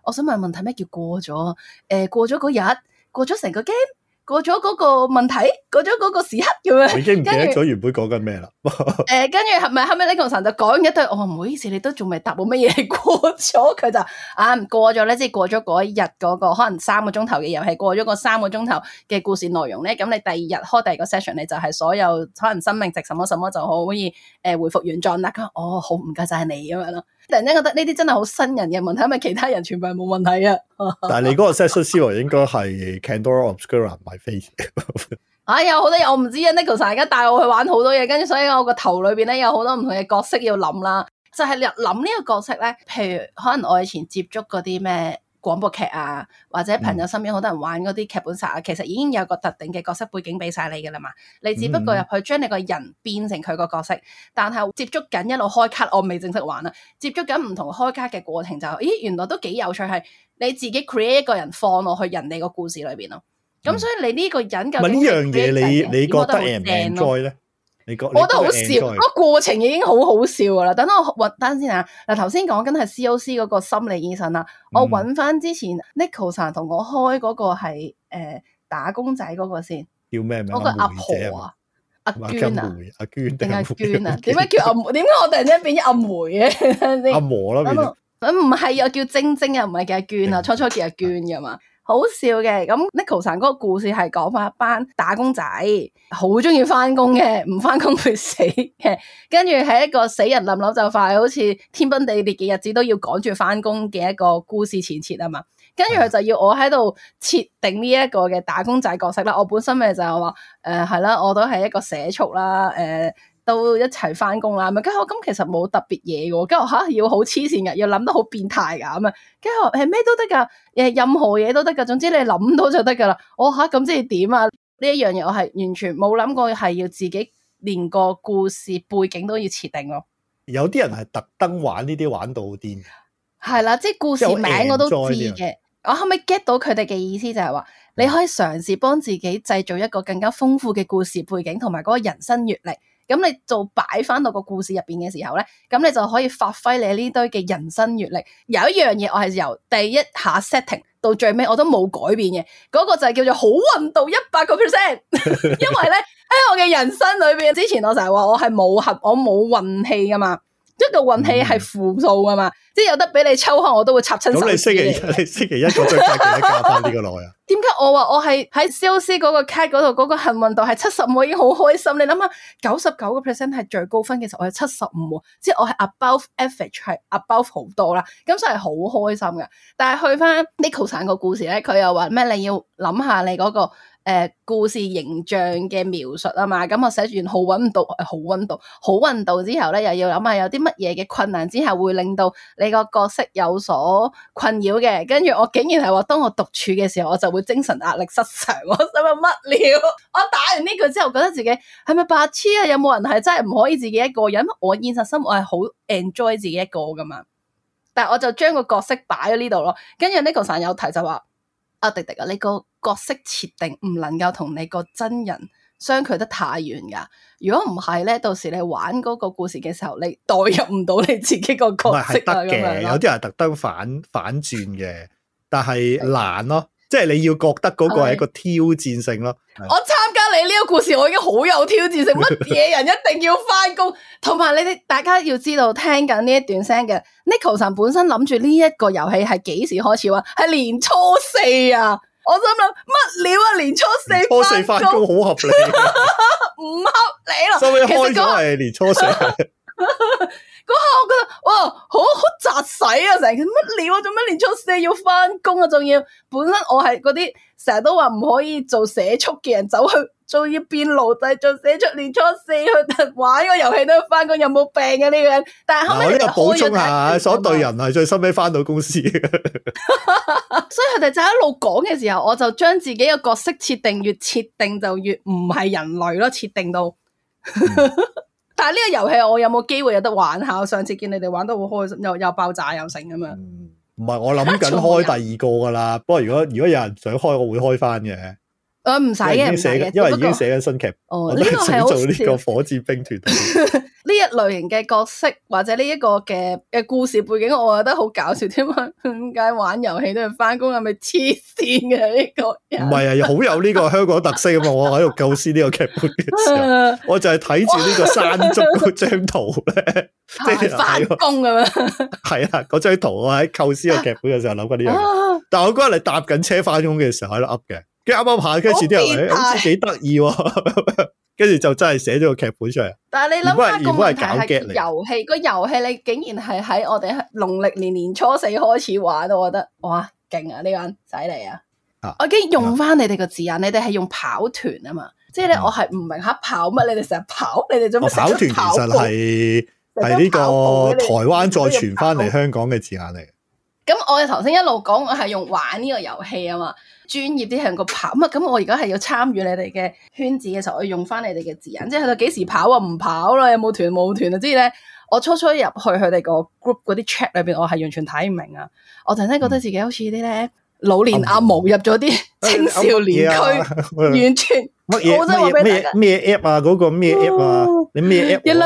Speaker 2: 我想問問題咩叫過咗？誒、呃，過咗嗰日，過咗成個 game。過咗嗰個問題，過咗嗰個時刻咁樣，
Speaker 3: 我已經唔記得咗原本講緊咩啦。
Speaker 2: 誒、呃，跟住係咪後尾呢個神就講一堆？我話唔好意思，你都仲未答我乜嘢過咗？佢就啊過咗咧，即係過咗嗰一日嗰個可能三個鐘頭嘅遊戲，過咗個三個鐘頭嘅故事內容咧，咁你第二日開第二個 session，你就係所有可能生命值什麼什麼就好可以誒、呃、回復原狀啦。佢哦好唔該晒你咁樣咯。突然間覺得呢啲真係好新人嘅問題，因為其他人全部係冇問題啊。
Speaker 3: 但係你嗰個 session zero 應該係 Candora Obscura My Face。
Speaker 2: 哎呀，好多嘢我唔知啊 Nicholas 而家帶我去玩好多嘢，跟住所以我個頭裏邊咧有好多唔同嘅角色要諗啦。就係諗呢個角色咧，譬如可能我以前接觸嗰啲咩廣播劇啊，或者朋友身邊好多人玩嗰啲劇本殺啊，其實已經有個特定嘅角色背景俾晒你噶啦嘛。你只不過入去將你個人變成佢個角色，但係接觸緊一路開卡，我未正式玩啊。接觸緊唔同開卡嘅過程就，咦原來都幾有趣，係你自己 create 一個人放落去人哋個故事裏邊咯。咁、嗯、所以你呢個人究竟係呢樣嘢，你你覺得 enjoy 咧？你覺我覺得好笑，個過程已經好好笑噶啦。等我揾單先啊！嗱，頭先講緊係 C O C 嗰個心理醫生啦，嗯、我揾翻之前 Nicholas 同我開嗰個係誒、呃、打工仔嗰個先，叫咩名？嗰個阿婆啊，阿娟啊，阿娟定阿娟啊？點解叫阿梅？點解我突然間變咗阿梅嘅？阿婆啦，唔係又叫晶晶啊，唔係叫阿娟啊，初初叫阿娟噶嘛。好笑嘅。咁 Neko-san 嗰個故事係講翻一班打工仔，好中意翻工嘅，唔翻工會死嘅。跟住係一個死人冧樓就快，好似天崩地裂嘅日子都要趕住翻工嘅一個故事前設啊嘛。跟住佢就要我喺度設定呢一個嘅打工仔角色啦。我本身咪就係話誒係啦，我都係一個社畜啦，誒、呃。都一齊翻工啦，咁跟住我咁其實冇特別嘢嘅，跟住吓要好黐線嘅，要諗得好變態噶咁啊，跟住誒咩都得噶，誒任何嘢都得噶，總之你諗到就得噶啦。我吓咁即係點啊？呢一樣嘢我係完全冇諗過係要自己連個故事背景都要設定咯。
Speaker 3: 有啲人係特登玩呢啲玩到好癲，
Speaker 2: 係啦，即係故事名我都知嘅。我後尾 get 到佢哋嘅意思就係話，你可以嘗試幫自己製造一個更加豐富嘅故事背景同埋嗰個人生閱歷。咁你做擺翻到個故事入邊嘅時候咧，咁你就可以發揮你呢堆嘅人生閱歷。有一樣嘢我係由第一下 setting 到最尾我都冇改變嘅，嗰、那個就係叫做好運到一百個 percent。因為咧喺我嘅人生裏邊，之前我成日話我係冇合，我冇運氣噶嘛。一個運氣係負數噶嘛，嗯、即係有得俾你抽開，我都會插親手。咁你星期一，
Speaker 3: 你星期一嗰張卡記得加翻呢個落去啊？
Speaker 2: 點解我話我係喺 C O C 嗰個卡嗰度嗰個幸運度係七十五，已經好開心。你諗下，九十九個 percent 係最高分嘅時候，我係七十五，即係我係 above average，係 above 好多啦。咁所以係好開心噶。但係去翻 Neko-san 個故事咧，佢又話咩？你要諗下你嗰、嗰個。誒、呃，故事形象嘅描述啊嘛，咁我寫住完好運到，好運到，好運到之後咧，又要諗下有啲乜嘢嘅困難之下會令到你個角色有所困擾嘅。跟住我竟然係話，當我獨處嘅時候，我就會精神壓力失常。我想問乜料？我打完呢句之後，覺得自己係咪白痴啊？有冇人係真係唔可以自己一個人？我現實生活係好 enjoy 自己一個噶嘛，但係我就將個角色擺喺呢度咯。跟住 Neko-san 有提就話。阿迪迪啊，你個角色設定唔能夠同你個真人相距得太遠噶。如果唔係咧，到時你玩嗰個故事嘅時候，你代入唔到你自己個角色啊。
Speaker 3: 得嘅，有啲人特登反反轉嘅，但係難咯。即係你要覺得嗰個係一個挑戰性咯。
Speaker 2: 我參加你呢個故事，我已經好有挑戰性。乜嘢人一定要翻工？同埋你哋大家要知道，聽緊呢一段聲嘅 Neko-san 本身諗住呢一個遊戲係幾時開始玩？係年初四啊！我心諗乜料啊？年初四
Speaker 3: 年初四翻工好合理，
Speaker 2: 唔合理咯。
Speaker 3: 收尾開咗係年初四。
Speaker 2: 嗰下我覺得哇，好好雜使啊！成日乜料啊？做咩年初四要翻工啊？仲要本身我係嗰啲成日都話唔可以做社畜嘅人，走去仲要變奴隸做社畜，年初四去玩個遊戲都要翻工，有冇病啊？呢個人？但係後尾
Speaker 3: 呢個補充下，所對人係最收尾翻到公司嘅。
Speaker 2: 所以佢哋就一路講嘅時候，我就將自己嘅角色設定越設定就越唔係人類咯，設定到。但係呢個遊戲我有冇機會有得玩下？我上次見你哋玩得好開心，又又爆炸又成咁樣。
Speaker 3: 唔係、嗯、我諗緊開第二個噶啦，不過如果如果有人想開，我會開翻嘅。
Speaker 2: 誒唔使嘅，唔使嘅，
Speaker 3: 因為已經寫緊新劇。
Speaker 2: 哦，
Speaker 3: 我都係想做呢個火箭兵團。呢
Speaker 2: 一類型嘅角色或者呢一個嘅嘅故事背景，我覺得好搞笑。點解點解玩遊戲都要翻工？係咪黐線嘅呢個人？
Speaker 3: 唔係啊，好有呢個香港特色啊嘛！我喺度構思呢個劇本嘅時候，我就係睇住呢個山竹嗰張圖咧，即係
Speaker 2: 翻工咁樣。
Speaker 3: 係啊，嗰張圖我喺構思個劇本嘅時候諗緊呢樣嘢。但係我嗰日嚟搭緊車翻工嘅時候喺度噏嘅。跟住啱啱下，跟住啲人誒，好似幾得意喎，跟住就真係寫咗個劇本出嚟。
Speaker 2: 但係你諗下個問題係
Speaker 3: 嚟
Speaker 2: 遊戲，個遊戲你竟然係喺我哋農曆年年初四開始玩，我覺得哇勁啊！呢個人犀利啊！啊我已經用翻你哋個字眼，啊、你哋係用跑團啊嘛，即係咧我係唔明吓跑乜？你哋成日跑，你哋做乜成日跑？
Speaker 3: 跑團其實係係呢個台灣再傳翻嚟香港嘅字眼嚟。
Speaker 2: 咁我哋頭先一路講，我係用玩呢個遊戲啊嘛。專業啲係用個跑啊，咁我而家係要參與你哋嘅圈子嘅時候，我要用翻你哋嘅字眼，即係喺度幾時跑啊？唔跑啦，有冇團冇團啊？即係咧，我初初入去佢哋個 group 嗰啲 chat 裏邊，我係完全睇唔明啊！我突然間覺得自己好似啲咧老年阿毛入咗啲青少年區，完全
Speaker 3: 乜嘢咩咩 app 啊？嗰個咩 app 啊？你咩 app？
Speaker 2: 一粒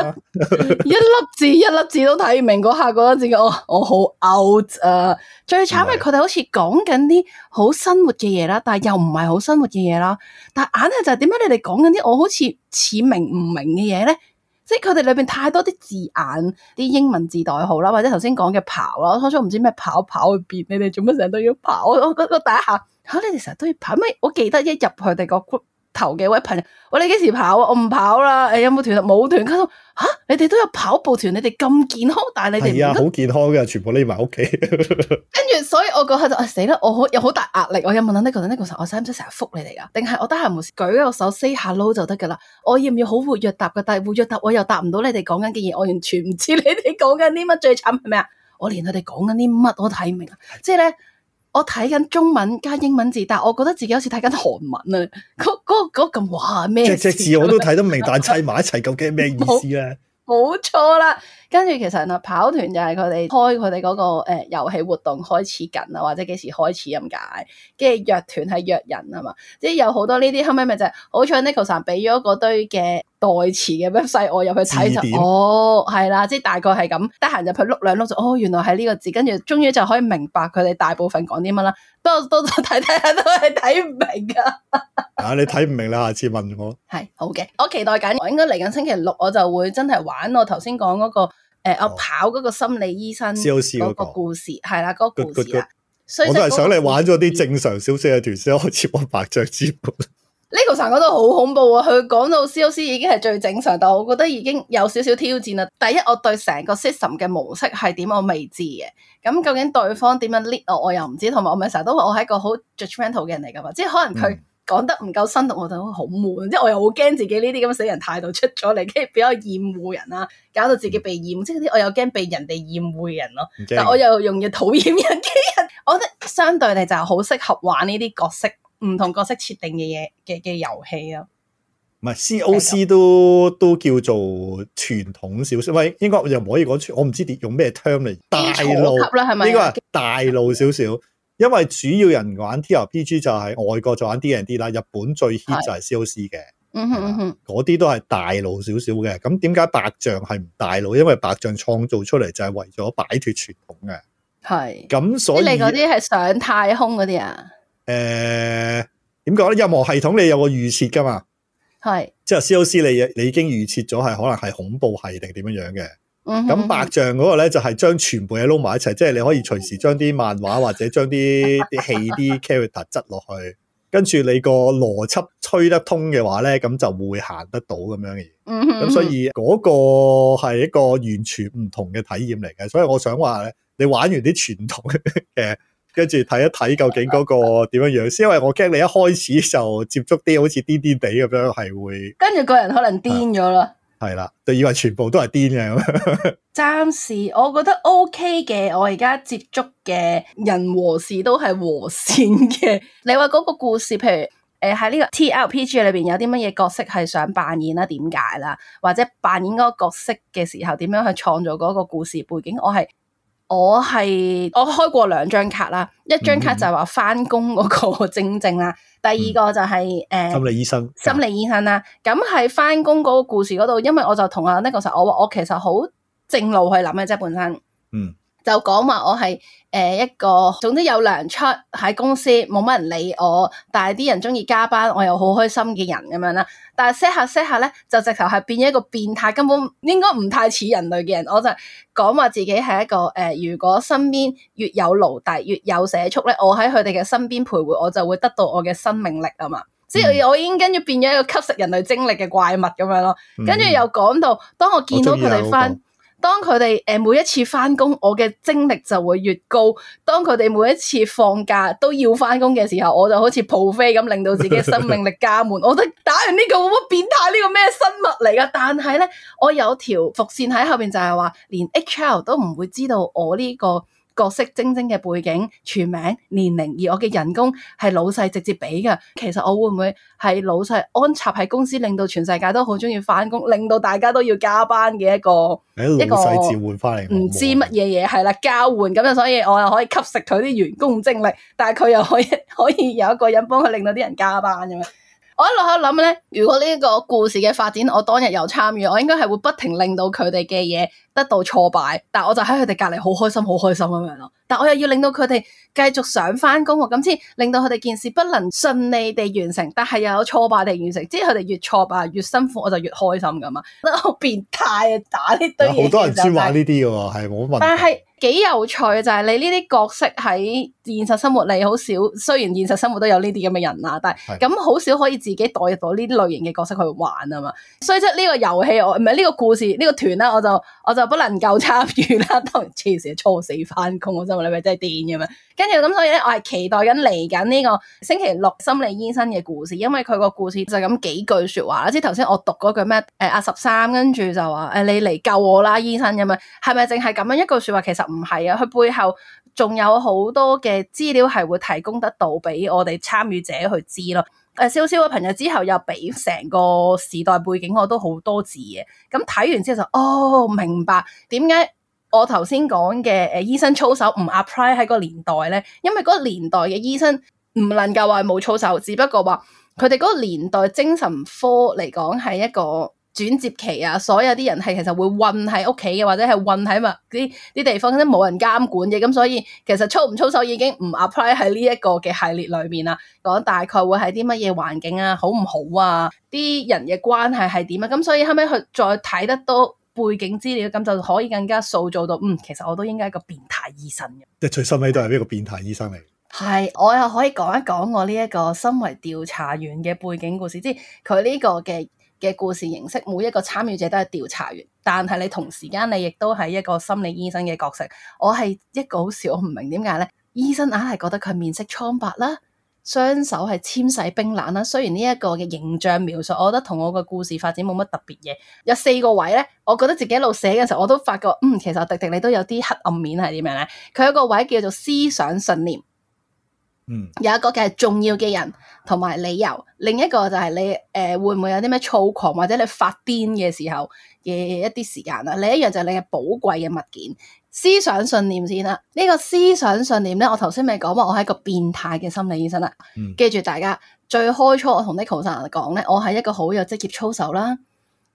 Speaker 2: 一粒字一粒字都睇唔明，嗰下覺得自己我我好 out 啊！最慘係佢哋好似講緊啲好生活嘅嘢啦，但係又唔係好生活嘅嘢啦。但係硬係就係點解你哋講緊啲我好似似明唔明嘅嘢咧？即係佢哋裏邊太多啲字眼，啲英文字代號啦，或者頭先講嘅跑啦，初初唔知咩跑跑去邊，你哋做乜成日都要跑？我覺得第一下嚇、啊、你哋成日都要跑咩？我記得一入佢哋個 group 頭幾位朋友，我哋幾時跑啊？我唔跑啦。誒有冇團啊？冇團。佢話嚇你哋都有跑步團，你哋咁健康，但係你哋
Speaker 3: 係啊，好健康嘅，全部匿埋屋企。
Speaker 2: 跟住所以我嗰刻就啊死啦！我好有好大壓力，我有問下呢個呢個時候，我使唔使成日覆你哋噶？定係我得閒無事舉個手 say hello 就得噶啦？我要唔要好活躍答噶？但係活躍答我又答唔到你哋講緊嘅嘢，我完全唔知你哋講緊啲乜。最慘係咩啊？我連佢哋講緊啲乜我都睇唔明啊！即係咧。我睇緊中文加英文字，但係我覺得自己好似睇緊韓文啊！嗰嗰嗰咁哇咩？
Speaker 3: 隻隻字我都睇得明，但係砌埋一齊究竟係咩意思咧？
Speaker 2: 冇錯啦，跟住其實啊，跑團就係佢哋開佢哋嗰個誒遊戲活動開始緊啊，或者幾時開始咁解。跟住約團係約人啊嘛，即係有好多呢啲後尾咪就係、是，好彩 Nicole 俾咗嗰堆嘅代詞嘅 website 我入去睇就
Speaker 3: 點
Speaker 2: 哦係啦，即係大概係咁，得閒入去碌兩碌就哦原來係呢個字，跟住終於就可以明白佢哋大部分講啲乜啦。不過多多睇睇下都係睇唔明噶。
Speaker 3: 啊，你睇唔明啦，下次問我。
Speaker 2: 係好嘅，我期待緊，我應該嚟緊星期六我就會真係玩我頭先講嗰個誒、呃哦、我跑嗰個心理醫生嗰個故事，係啦嗰個故事啦。
Speaker 3: 我都係想你玩咗啲正常少少嘅團先開始玩白象之門。
Speaker 2: 呢個成個都好恐怖啊！佢講到 C O C 已經係最正常，但我覺得已經有少少挑戰啦。第一，我對成個 system 嘅模式係點我未知嘅。咁究竟對方點樣 lead 我，我又唔知。同埋我咪成日都話我係一個好 judgmental 嘅人嚟噶嘛，即係可能佢講得唔夠生動，我就好悶。即係我又好驚自己呢啲咁死人態度出咗嚟，跟住比較厭惡人啦，搞到自己被厭。即係啲我又驚被人哋厭惡嘅人咯，但我又容易討厭人嘅人。我覺得相對地就係好適合玩呢啲角色。唔同角色設定嘅嘢嘅嘅遊戲咯，
Speaker 3: 唔係 C O C 都都叫做傳統少少，喂，應該又唔可以講傳，我唔知點用咩 term 嚟，大路
Speaker 2: 啦係咪？
Speaker 3: 呢個係大路少少，因為主要人玩 T R P G 就係外國就玩 D and D 啦，日本最 hit 就係 C O C 嘅，
Speaker 2: 嗯哼嗯哼，
Speaker 3: 嗰啲都係大路少少嘅。咁點解白象係唔大路？因為白象創造出嚟就係為咗擺脫傳統嘅，
Speaker 2: 係
Speaker 3: 咁所以
Speaker 2: 你嗰啲係上太空嗰啲啊？
Speaker 3: 誒點講咧？任何系統你有個預設噶嘛？
Speaker 2: 係
Speaker 3: 即係 C O C 你你已經預設咗係可能係恐怖系定點樣樣嘅。咁、
Speaker 2: 嗯、
Speaker 3: 白象嗰個咧就係、是、將全部嘢撈埋一齊，即係你可以隨時將啲漫畫或者將啲啲戲啲 character 質落去，跟住你個邏輯吹得通嘅話咧，咁就會行得到咁樣嘅嘢。咁、嗯、所以嗰個係一個完全唔同嘅體驗嚟嘅。所以我想話咧，你玩完啲傳統嘅。跟住睇一睇究竟嗰個點樣樣先，因為我驚你一開始就接觸啲好似癲癲地咁樣，係會
Speaker 2: 跟住個人可能癲咗啦。
Speaker 3: 係啦，就以為全部都係癲嘅咁。
Speaker 2: 暫時我覺得 OK 嘅，我而家接觸嘅人和事都係和善嘅。你話嗰個故事，譬如誒喺呢個 T R P G 裏邊有啲乜嘢角色係想扮演啦？點解啦？或者扮演嗰個角色嘅時候，點樣去創造嗰個故事背景？我係。我係我開過兩張卡啦，一張卡就係話翻工嗰個徵徵啦，第二個就係、是、誒、
Speaker 3: 嗯呃、心理醫生，
Speaker 2: 心理醫生啦。咁係翻工嗰個故事嗰度，因為我就同阿 Nicole 我話我其實好正路去諗嘅啫，本身，嗯，就講話我係誒、呃、一個，總之有糧出喺公司，冇乜人理我，但係啲人中意加班，我又好開心嘅人咁樣啦。但係 set 下 set 下咧，就直頭係變咗一個變態，根本應該唔太似人類嘅人。我就講話自己係一個誒、呃，如果身邊越有奴隸，越有社畜咧，我喺佢哋嘅身邊徘徊，我就會得到我嘅生命力啊嘛。即係、嗯、我已經跟住變咗一個吸食人類精力嘅怪物咁樣咯。跟住又講到，當我見到佢哋翻。當佢哋誒每一次翻工，我嘅精力就會越高。當佢哋每一次放假都要翻工嘅時候，我就好似撲飛咁，令到自己生命力加滿。我覺得打完呢、這個乜變態呢個咩生物嚟噶？但係咧，我有條伏線喺後邊就係話，連 H R 都唔會知道我呢、這個。角色徵徵嘅背景、全名、年齡，而我嘅人工係老細直接俾嘅。其實我會唔會係老細安插喺公司，令到全世界都好中意翻工，令到大家都要加班嘅一個一個老細召喚翻嚟，唔知乜嘢嘢係啦，交換咁樣，所以我又可以吸食佢啲員工精力，但係佢又可以可以有一個人幫佢令到啲人加班咁樣。我一路喺度諗咧，如果呢個故事嘅發展我當日有參與，我應該係會不停令到佢哋嘅嘢得到挫敗，但我就喺佢哋隔籬好開心好開心咁樣咯，但我又要令到佢哋繼續上翻工喎，咁先令到佢哋件事不能順利地完成，但係又有挫敗地完成，即係佢哋越挫敗越辛苦，我就越開心噶嘛，覺得好變態啊！打呢堆嘢，
Speaker 3: 好多人先玩呢啲嘅喎，係冇問題。
Speaker 2: 但係幾有趣就係你呢啲角色喺現實生活你好少，雖然現實生活都有呢啲咁嘅人啦，但係咁好少可以自己代入到呢啲類型嘅角色去玩啊嘛，所以即係呢個遊戲我唔係呢個故事呢、呢個團啦，我就我就不能夠參與啦，當然黐線初死翻工，我真係你咪真係癲咁樣。跟住咁所以咧，我係期待緊嚟緊呢個星期六心理醫生嘅故事，因為佢個故事就咁幾句說話啦，即係頭先我讀嗰句咩誒阿十三，跟住就話誒你嚟救我啦醫生咁樣，係咪淨係咁樣一句說話？其實唔係啊，佢背後仲有好多嘅資料係會提供得到俾我哋參與者去知咯。誒，少少嘅朋友之後又俾成個時代背景我都好多字嘅，咁睇完之後就哦明白點解我頭先講嘅誒醫生操守唔 apply 喺個年代咧，因為嗰個年代嘅醫生唔能夠話冇操守，只不過話佢哋嗰個年代精神科嚟講係一個轉接期啊，所有啲人係其實會困喺屋企嘅，或者係困喺嘛啲啲地方，即冇人監管嘅，咁所以其實操唔操守已經唔 apply 喺呢一個嘅系列裏面啦。講大概會係啲乜嘢環境啊，好唔好啊，啲人嘅關係係點啊，咁所以後尾佢再睇得多背景資料，咁就可以更加塑造到，嗯，其實我都應該係一個變態醫生嘅，
Speaker 3: 即係最收尾都係呢個變態醫生嚟。
Speaker 2: 係，我又可以講一講我呢一個身為調查員嘅背景故事，即係佢呢個嘅嘅故事形式，每一個參與者都係調查員，但係你同時間你亦都係一個心理醫生嘅角色。我係一個好笑，我唔明點解咧，醫生硬係覺得佢面色蒼白啦，雙手係纖細冰冷啦。雖然呢一個嘅形象描述，我覺得同我個故事發展冇乜特別嘢。有四個位咧，我覺得自己一路寫嘅時候，我都發覺，嗯，其實迪迪你都有啲黑暗面係點樣咧？佢有個位叫做思想信念。
Speaker 3: 嗯，
Speaker 2: 有一個嘅係重要嘅人同埋理由，另一個就係你誒、呃、會唔會有啲咩躁狂或者你發癲嘅時候嘅一啲時間啦，另一樣就係你嘅寶貴嘅物件。思想信念先啦，呢、這個思想信念咧，我頭先咪講話我係一個變態嘅心理醫生啦。
Speaker 3: 嗯、
Speaker 2: 記住大家最開初我同 Nicole 生人講咧，我係一個好有職業操守啦，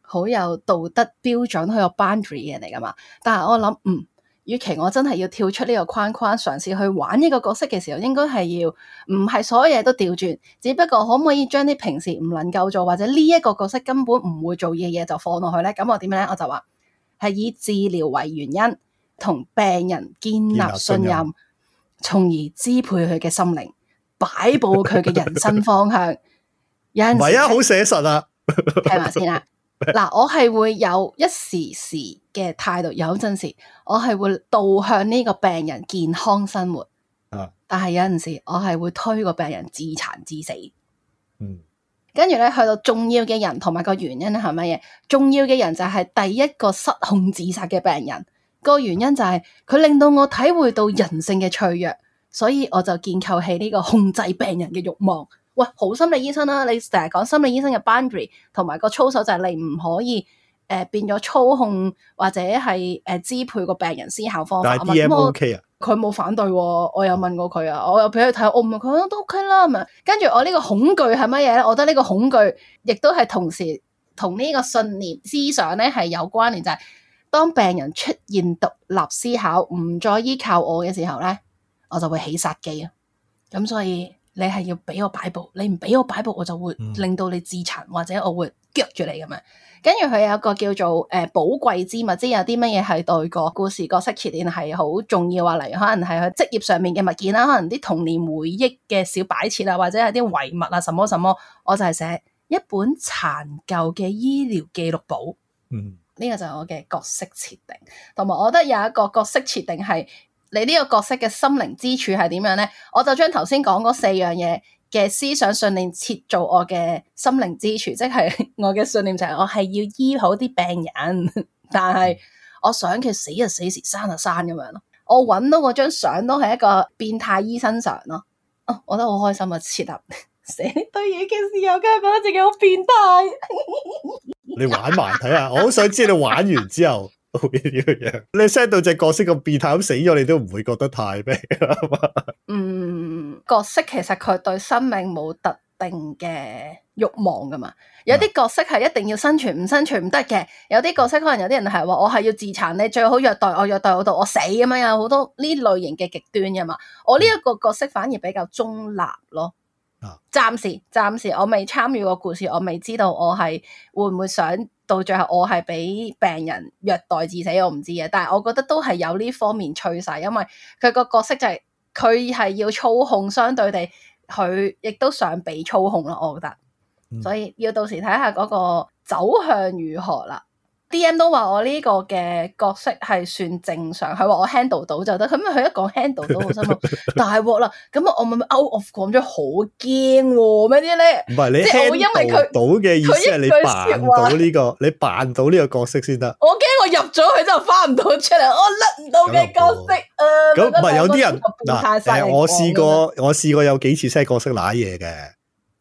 Speaker 2: 好有道德標準，好有 boundary 嘅人嚟噶嘛。但係我諗嗯。與其我真係要跳出呢個框框，嘗試去玩呢個角色嘅時候，應該係要唔係所有嘢都調轉，只不過可唔可以將啲平時唔能夠做或者呢一個角色根本唔會做嘅嘢就放落去咧？咁我點樣咧？我就話係以治療為原因，同病人建立信任，從而支配佢嘅心靈，擺佈佢嘅人生方向。有陣時唔係
Speaker 3: 啊，好寫實啊！
Speaker 2: 聽埋先啦。嗱，我係會有一時時嘅態度，有陣時我係會導向呢個病人健康生活，啊、但係有陣時我係會推個病人自殘致死。嗯，跟住咧去到重要嘅人同埋個原因係乜嘢？重要嘅人就係第一個失控自殺嘅病人，個原因就係佢令到我體會到人性嘅脆弱，所以我就建構起呢個控制病人嘅慾望。喂，好心理醫生啦、啊！你成日講心理醫生嘅 boundary 同埋個操守就係你唔可以誒、呃、變咗操控或者係誒、呃、支配個病人思考方法。
Speaker 3: 但係 D M OK 啊？
Speaker 2: 佢冇反對喎，我有問過佢啊，我有俾佢睇，我唔係佢都 OK 啦，咁啊。跟住我呢個恐懼係乜嘢咧？我覺得呢個恐懼亦都係同時同呢個信念思想咧係有關聯，就係、是、當病人出現獨立思考，唔再依靠我嘅時候咧，我就會起殺機啊。咁所以。你係要俾我擺佈，你唔俾我擺佈，我就會令到你自殘，或者我會腳住你咁樣。跟住佢有一個叫做誒寶貴之物，即係有啲乜嘢係對個故事角色設定係好重要啊。例如可能係佢職業上面嘅物件啦，可能啲童年回憶嘅小擺設啊，或者係啲遺物啊，什麼什麼，我就係寫一本殘舊嘅醫療記錄簿。嗯，呢個就係我嘅角色設定，同埋我覺得有一個角色設定係。你呢個角色嘅心靈支柱係點樣咧？我就將頭先講嗰四樣嘢嘅思想信念設做我嘅心靈支柱，即係我嘅信念就係我係要醫好啲病人，但係我想佢死就死，時生就生咁樣咯。我揾到嗰張相都係一個變態醫生相咯。哦，我覺得好開心啊！設立寫呢堆嘢嘅時候，梗係覺得自己好變態。
Speaker 3: 你玩埋睇下，我好想知你玩完之後。會點樣？你 set 到隻角色咁變態咁死咗，你都唔會覺得太咩？
Speaker 2: 嗯，角色其實佢對生命冇特定嘅慾望噶嘛。有啲角色係一定要生存，唔生存唔得嘅。有啲角色可能有啲人係話我係要自殘，你最好虐待我，虐待我到我死咁樣，有好多呢類型嘅極端噶嘛。我呢一個角色反而比較中立咯。暫時暫時我未參與過故事，我未知道我係會唔會想到最後我係俾病人虐待致死，我唔知嘅。但係我覺得都係有呢方面趨勢，因為佢個角色就係佢係要操控，相對地佢亦都想被操控咯，我覺得。所以要到時睇下嗰個走向如何啦。D M 都話我呢個嘅角色係算正常，佢話我 handle 到就得。咁佢一講 handle 到，我心諗大鑊啦。咁啊，我咪 out of 講咗好驚咩啲咧？
Speaker 3: 唔係你 handle 到嘅意思係你扮到呢個，你扮到呢個角色先得。
Speaker 2: 我驚我入咗去之後翻唔到出嚟，我甩唔到嘅角色。誒，
Speaker 3: 咁唔係有啲人嗱，誒，我試過，我試過有幾次 set 角色瀨嘢嘅，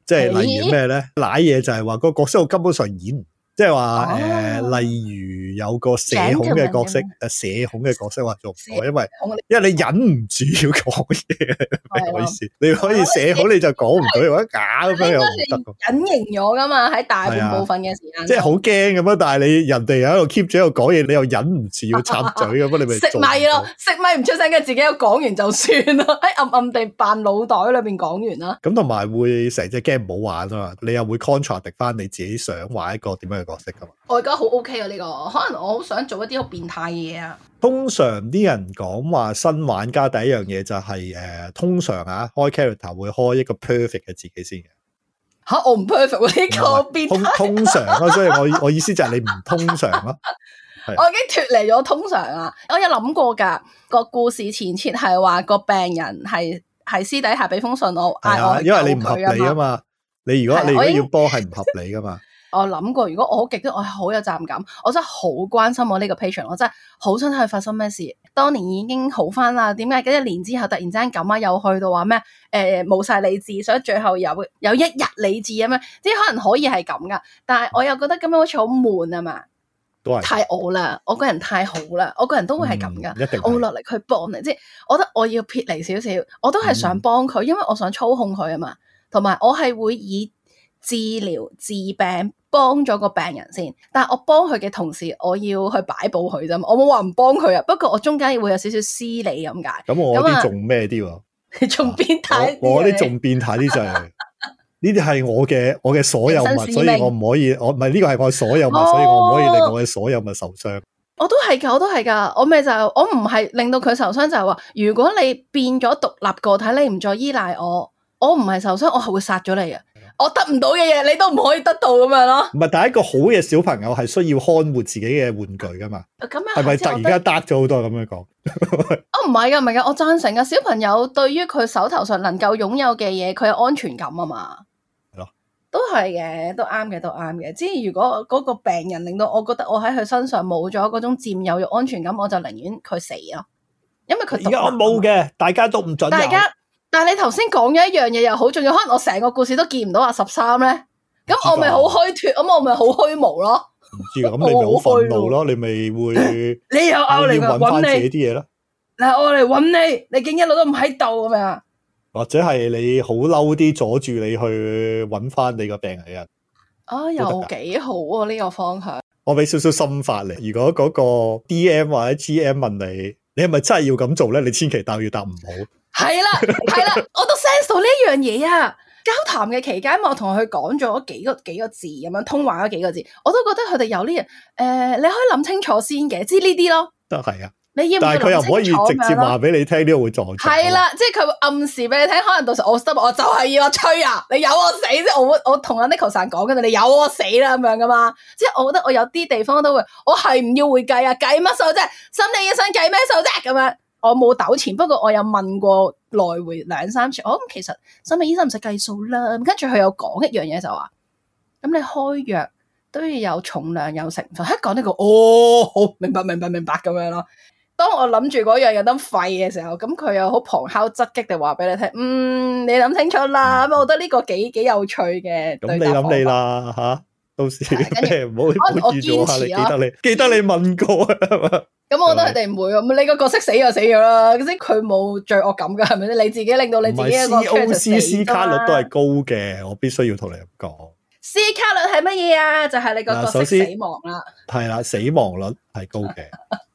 Speaker 3: 即係例如咩咧？瀨嘢就係話個角色我根本上演。即係話誒，例如有個社恐嘅角色，誒社恐嘅角色話做唔到，因為因為你忍唔住要講嘢，唔好意思，你可以社恐你就講唔到，或者假咁樣又唔得。
Speaker 2: 隱形咗噶嘛，喺大半部分嘅時間，
Speaker 3: 即係好驚咁樣，但係你人哋喺度 keep 住喺度講嘢，你又忍唔住要插嘴咁樣，你咪
Speaker 2: 食咪咯，食咪唔出聲嘅，自己又講完就算咯，喺暗暗地扮腦袋裏邊講完啦。咁
Speaker 3: 同埋會成隻 game 唔好玩啊嘛，你又會 contradict 翻你自己想玩一個點樣嘅角色噶嘛。
Speaker 2: 我而家好 OK 啊呢個，可能我好想做一啲好變態嘅嘢啊。
Speaker 3: 通常啲人講話新玩家第一樣嘢就係、是、誒、呃，通常啊開 character 會開一個 perfect 嘅自己先嘅。吓、啊，我唔 perfect 喎呢個變態。通通常啊，所以我我意思就係你唔通常咯。
Speaker 2: 我已經脫離咗通常啊！我有諗過噶個故事前設係話個病人係係私底下俾封信我，嗌我，
Speaker 3: 因為你唔合理啊嘛。你如果你如果要幫係唔合理噶嘛。
Speaker 2: 我諗過，如果我好極端，我係好有責任感，我真係好關心我呢個 patient，我真係好想睇佢發生咩事。當年已經好翻啦，點解一年之後突然之間咁啊？又去到話咩？誒冇晒理智，所以最後有有一日理智咁樣，即係可能可以係咁噶。但係我又覺得咁樣好似好悶啊嘛，都係太我啦，我個人太好啦，我個人都會係咁噶，嗯、我會落力去幫你，即係我覺得我要撇離少少，我都係想幫佢，因為我想操控佢啊嘛，同埋我係會以治療治病。幫咗個病人先，但係我幫佢嘅同時，我要去擺佈佢啫嘛，我冇話唔幫佢啊。不過我中間會有少少私利咁解。咁
Speaker 3: 我啲仲咩啲喎？
Speaker 2: 你仲變態？
Speaker 3: 我啲仲變態啲就係呢啲係我嘅我嘅所有物，所以我唔可以，我唔係呢個係我所有物，哦、所以我唔可以令我嘅所有物受傷。我都係噶，
Speaker 2: 我都係噶，我咪就係、我唔係令到佢受傷，就係話如果你變咗獨立個體，你唔再依賴我，我唔係受傷，我係會殺咗你嘅。我得唔到嘅嘢，你都唔可以得到咁樣咯。唔係，
Speaker 3: 但係一個好嘅小朋友係需要看護自己嘅玩具噶嘛。咁樣係咪突然間得咗好多咁樣講？
Speaker 2: 哦，唔係噶，唔係噶，我贊成噶。小朋友對於佢手頭上能夠擁有嘅嘢，佢有安全感啊嘛。係咯，都係嘅，都啱嘅，都啱嘅。即係如果嗰個病人令到我覺得我喺佢身上冇咗嗰種佔有欲、安全感，我就寧願佢死咯。因為佢
Speaker 3: 而家我冇嘅，大家都唔準。
Speaker 2: 大家。但係你頭先講咗一樣嘢又好重要，可能我成個故事都見唔到阿十三咧，咁我咪好虛脫，咁我咪好虛無咯。
Speaker 3: 唔知咁你咪好憤怒咯，你咪會
Speaker 2: 你又拗嚟
Speaker 3: 搵翻自己啲嘢咯。
Speaker 2: 嗱，我嚟搵你，你竟一路都唔喺度咁樣，
Speaker 3: 或者係你好嬲啲阻住你去搵翻你個病人人。
Speaker 2: 啊，又幾好啊呢個方向。
Speaker 3: 我俾少少心法嚟，如果嗰個 D M 或者 G M 問你，你係咪真係要咁做咧？你千祈答要答唔好。係
Speaker 2: 啦，係啦，我都 sense 到呢樣嘢啊！交談嘅期間，我同佢講咗幾個幾個字咁樣通話咗幾個字，我都覺得佢哋有呢樣誒，你可以諗清楚先嘅，知呢啲咯。
Speaker 3: 都係啊，
Speaker 2: 你要唔要
Speaker 3: 但係佢又唔可以直接話俾你聽，呢個會撞牆。
Speaker 2: 係啦，即係佢會暗示俾你聽，可能到時我心我就係要我吹啊，你有我死，即係我我同阿 Neko san講嘅，你有我死啦咁樣噶嘛。即係我覺得我有啲地方都會，我係唔要會計啊，計乜數啫？心理醫生計咩數啫？咁樣。我冇糾纏，不過我有問過來回兩三次。我、哦、咁其實心理醫生唔使計數啦。跟住佢有講一樣嘢就話，咁你開藥都要有重量有成分。一講呢個，哦，好明白明白明白咁樣咯。當我諗住嗰樣有得廢嘅時候，咁佢又好旁敲側擊地話俾你聽，嗯，你諗清楚啦。咁我覺得呢個幾幾有趣嘅。咁你諗你啦吓、啊，到時咩唔好唔好預咗下你，記得你記得你問過啊。咁我覺得佢哋唔會咁，你個角色死就死咗啦，即係佢冇罪惡感噶，係咪先？你自己令到你自己一個 C O C C 卡率都係高嘅，我必須要同你咁講。C 卡率係乜嘢啊？就係、是、你個角色死亡啦。
Speaker 3: 係啦，死亡率係高嘅，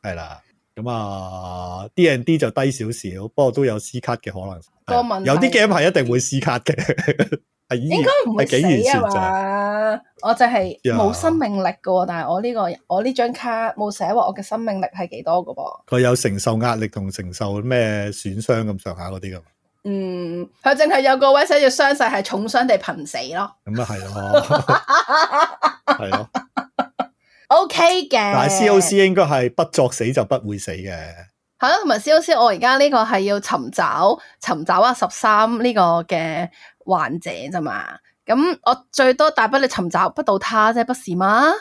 Speaker 3: 係啦。咁啊 ，D and D 就低少少，不過都有 C 卡嘅可能。
Speaker 2: 個問題
Speaker 3: 有啲 game 係一定會 C 卡嘅，係
Speaker 2: 應該唔會死啊嘛。我就係冇生命力噶，但係我呢、這個我呢張卡冇寫話我嘅生命力係幾多噶噃。
Speaker 3: 佢有承受壓力同承受咩損傷咁上下嗰啲噶。
Speaker 2: 嗯，佢淨係有個位寫住傷勢係重傷地瀕死咯。
Speaker 3: 咁啊係咯，係咯。
Speaker 2: O K 嘅，
Speaker 3: 但係 C O C 應該係不作死就不會死嘅。
Speaker 2: 係咯，同埋 C O C 我而家呢個係要尋找尋找啊十三呢個嘅患者啫嘛。咁我最多大不了尋找不到他啫，不是嗎？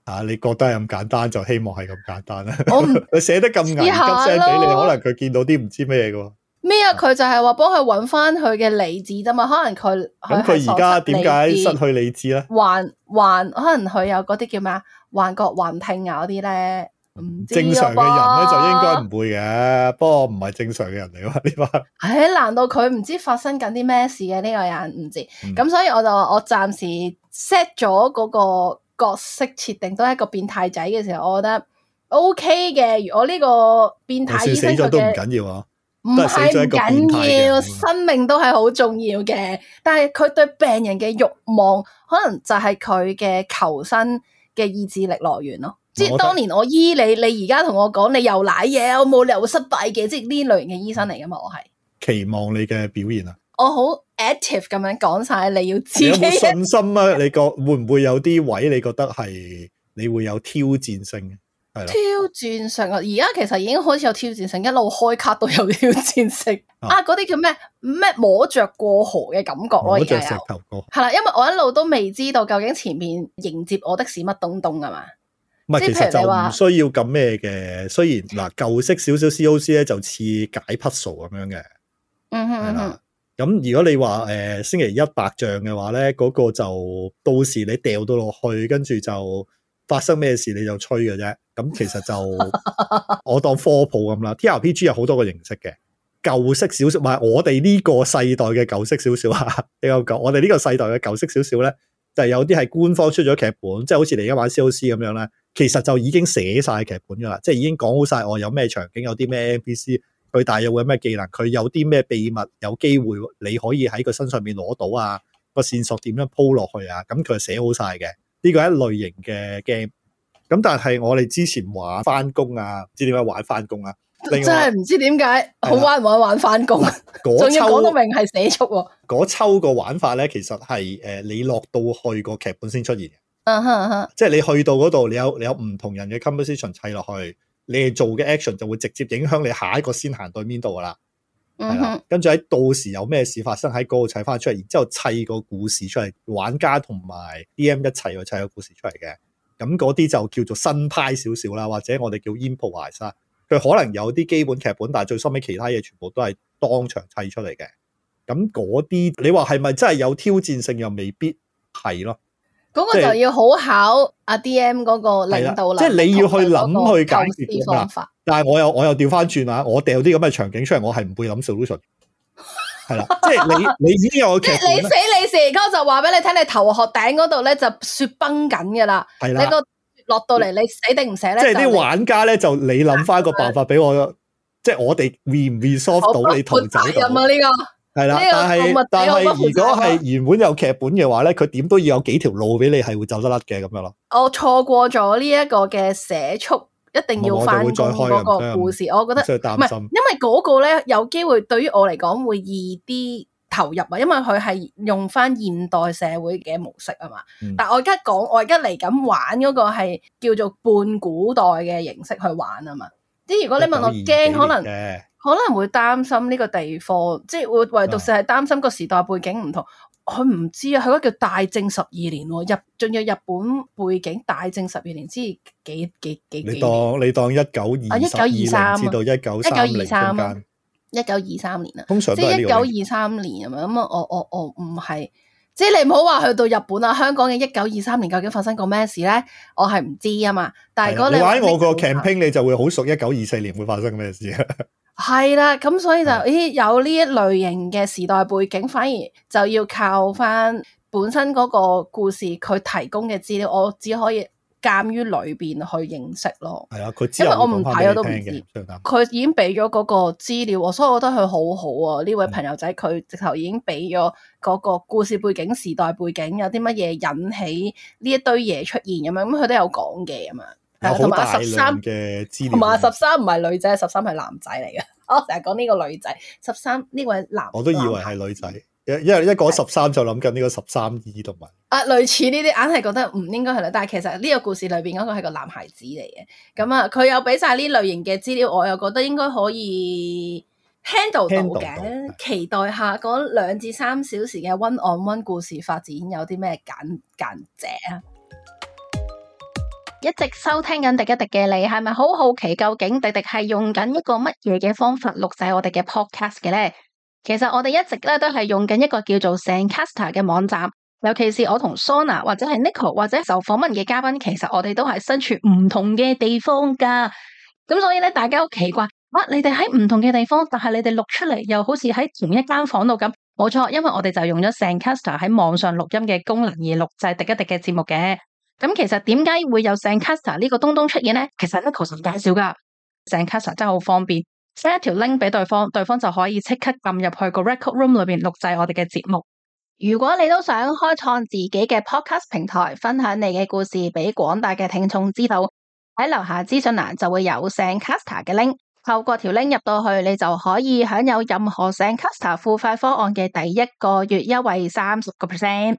Speaker 2: 啊，
Speaker 3: 你覺得係咁簡單就希望係咁簡單啦。
Speaker 2: 我
Speaker 3: 佢寫得咁危急聲俾你，可能佢見到啲唔知咩嘅。
Speaker 2: 咩啊？佢就係話幫佢揾翻佢嘅理智啫嘛。可能佢
Speaker 3: 咁佢而家點解失去理智咧？
Speaker 2: 幻幻可能佢有嗰啲叫咩啊？幻覺、幻聽啊嗰啲咧，唔知
Speaker 3: 正常嘅人咧就應該唔會嘅，不過唔係正常嘅人嚟嘛呢班。
Speaker 2: 唉，難道佢唔知發生緊啲咩事嘅呢個人唔知？咁、嗯、所以我就話我暫時 set 咗嗰個角色設定都係一個變態仔嘅時候，我覺得 OK 嘅。如果呢個變態醫生
Speaker 3: 死咗都唔緊要啊。
Speaker 2: 唔係唔緊要，生命都係好重要嘅。但係佢對病人嘅慾望，可能就係佢嘅求生嘅意志力來源咯。即係當年我醫你，你而家同我講你又瀨嘢，我冇理由會失敗嘅。即係呢類型嘅醫生嚟噶嘛，我係
Speaker 3: 期望你嘅表現啊。
Speaker 2: 我好 active 咁樣講晒，你要自己
Speaker 3: 有冇信心啊？你覺會唔會有啲位你覺得係你會有挑戰性？
Speaker 2: 挑戰性啊！而家其實已經開始有挑戰性，一路開卡都有挑戰性啊！嗰啲叫咩咩摸着過河嘅感覺咯，
Speaker 3: 摸着石頭過河
Speaker 2: 係啦，因為我一路都未知道究竟前面迎接我的是乜東東啊嘛。
Speaker 3: 唔係，其實就唔需要咁咩嘅。雖然嗱舊式少少 C O C 咧就似解 puzzle 咁樣嘅，
Speaker 2: 嗯哼嗯哼。
Speaker 3: 咁如果你話誒、呃、星期一白象嘅話咧，嗰、那個就到時你掉到落去，跟住就發生咩事你就吹嘅啫。咁其實就我當科普咁啦。T R P G 有好多個形式嘅，舊式少少，唔係我哋呢個世代嘅舊式少少啊。你有講我哋呢個世代嘅舊式少少咧，就係有啲係官方出咗劇本，即係好似你而家玩 C O C 咁樣咧，其實就已經寫晒劇本噶啦，即係已經講好晒我有咩場景，有啲咩 N P C， 佢大約會有咩技能，佢有啲咩秘密，有機會你可以喺佢身上面攞到啊，個線索點樣鋪落去啊，咁佢係寫好晒嘅。呢個係一類型嘅 game。咁但係我哋之前玩翻工啊，唔知點解玩翻工啊？真
Speaker 2: 係唔知點解好玩唔玩玩翻工，仲要講到明係寫速喎。
Speaker 3: 嗰抽個玩法咧，其實係誒、呃、你落到去個劇本先出現嘅。
Speaker 2: 嗯哼嗯哼，
Speaker 3: 即係你去到嗰度，你有你有唔同人嘅 composition 砌落去，你哋做嘅 action 就會直接影響你下一個先行對邊度噶啦。係啦、嗯，跟住喺到時有咩事發生喺嗰度砌翻出嚟，然之後砌個故事出嚟，玩家同埋 D M 一齊去砌個故事出嚟嘅。咁嗰啲就叫做新派少少啦，或者我哋叫 improvise 啦。佢可能有啲基本劇本，但係最收尾其他嘢全部都係當場砌出嚟嘅。咁嗰啲你話係咪真係有挑戰性？又未必係咯。
Speaker 2: 嗰個就要好考阿 D M 嗰個領導力，
Speaker 3: 即係你要去諗去解決
Speaker 2: 方法。
Speaker 3: 但係我又我又調翻轉啊！我掉啲咁嘅場景出嚟，我係唔會諗 solution。係啦，即係你你已經有個劇本，
Speaker 2: 你死你事，嗰就話俾你聽，你頭殼頂嗰度咧就雪崩緊噶啦。係啦，你個落到嚟，你死定唔死咧？
Speaker 3: 即係啲玩家咧，就你諗翻個辦法俾我，即係我哋 re 唔 resolve 到你逃走到。
Speaker 2: 任啊呢個係
Speaker 3: 啦，但係但係如果係原本有劇本嘅話咧，佢點都要有幾條路俾你係會走得甩嘅咁樣咯。
Speaker 2: 我錯過咗呢一個嘅寫速。一定要翻工嗰個故事，我覺得唔係，因為嗰個咧有機會對於我嚟講會易啲投入啊，因為佢係用翻現代社會嘅模式啊嘛。嗯、但係我而家講，我而家嚟緊玩嗰個係叫做半古代嘅形式去玩啊嘛。即係如果你問我驚，可能可能會擔心呢個地方，即係會唯獨是係擔心個時代背景唔同。佢唔知啊，佢嗰個叫大正十二年，日仲有日本背景，大正十二年之幾幾幾幾年？你當
Speaker 3: 你當一九二一九二三至到一九三零中間，
Speaker 2: 一九二三年啊，
Speaker 3: 通常都係呢個。即係一九
Speaker 2: 二三年咁樣，咁啊，我我我唔係，即係你唔好話去到日本啊，香港嘅一九二三年究竟發生過咩事咧？我係唔知啊嘛。但係如果你
Speaker 3: 玩我個 campaign，你就會好熟一九二四年會發生咩事啊？
Speaker 2: 係啦，咁所以就咦有呢一類型嘅時代背景，反而就要靠翻本身嗰個故事佢提供嘅資料，我只可以鑒於裏邊去認識咯。
Speaker 3: 係啊，佢
Speaker 2: 因為我唔睇我都唔知。佢已經俾咗嗰個資料，所以我覺得佢好好啊！呢位朋友仔佢直頭已經俾咗嗰個故事背景、時代背景，有啲乜嘢引起呢一堆嘢出現咁樣，咁佢都有講嘅咁樣。
Speaker 3: 有好大量嘅資料，
Speaker 2: 同埋十三唔係女仔，十三係男仔嚟嘅。我成日講呢個女仔，十三呢位男，
Speaker 3: 我都以為係女仔，因為一講十三就諗緊呢個十三姨同埋
Speaker 2: 啊，類似呢啲硬係覺得唔應該係女，但係其實呢個故事裏邊嗰個係個男孩子嚟嘅。咁啊，佢有俾晒呢類型嘅資料，我又覺得應該可以 handle 到嘅。期待下嗰兩至三小時嘅 one on one 故事發展有啲咩簡簡姐啊！
Speaker 1: 一直收聽緊廸一廸嘅你，係咪好好奇究竟廸廸係用緊一個乜嘢嘅方法錄製我哋嘅 podcast 嘅咧？其實我哋一直咧都係用緊一個叫做 Zencastr 嘅網站，尤其是我同 Sona 或者係 Nicole 或者受訪問嘅嘉賓，其實我哋都係身處唔同嘅地方噶。咁所以咧，大家好奇怪，哇！你哋喺唔同嘅地方，但係你哋錄出嚟又好似喺同一間房度咁。冇錯，因為我哋就用咗 Zencastr 喺網上錄音嘅功能而錄製廸一廸嘅節目嘅。咁其實點解會有 Zencastr 呢個東東出現咧？其實 Nicole 介紹噶 Zencastr 真係好方便，send 一條 link 俾對方，對方就可以即刻撳入去個 record room 裏邊錄製我哋嘅節目。如果你都想開創自己嘅 podcast 平台，分享你嘅故事俾廣大嘅聽眾知道，喺樓下資訊欄就會有 Zencastr 嘅 link， 透過條 link 入到去，你就可以享有任何 Zencastr 付費方案嘅第一個月優惠三十個 percent。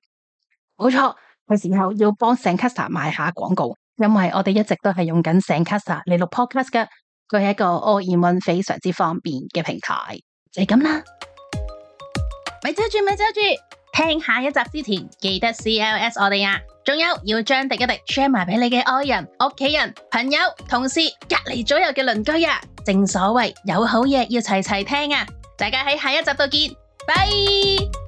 Speaker 1: 冇錯。嘅時候要幫 Zencastr 賣下廣告，因為我哋一直都係用緊 Zencastr 嚟錄 podcast 嘅，佢係一個 all in one 非常之方便嘅平台，就係咁啦。咪遮住咪遮住，聽下一集之前記得 C L S 我哋啊，仲有要將廸一廸 share 埋俾你嘅愛人、屋企人、朋友、同事、隔籬左右嘅鄰居啊！正所謂有好嘢要齊齊聽啊！大家喺下一集度見，拜。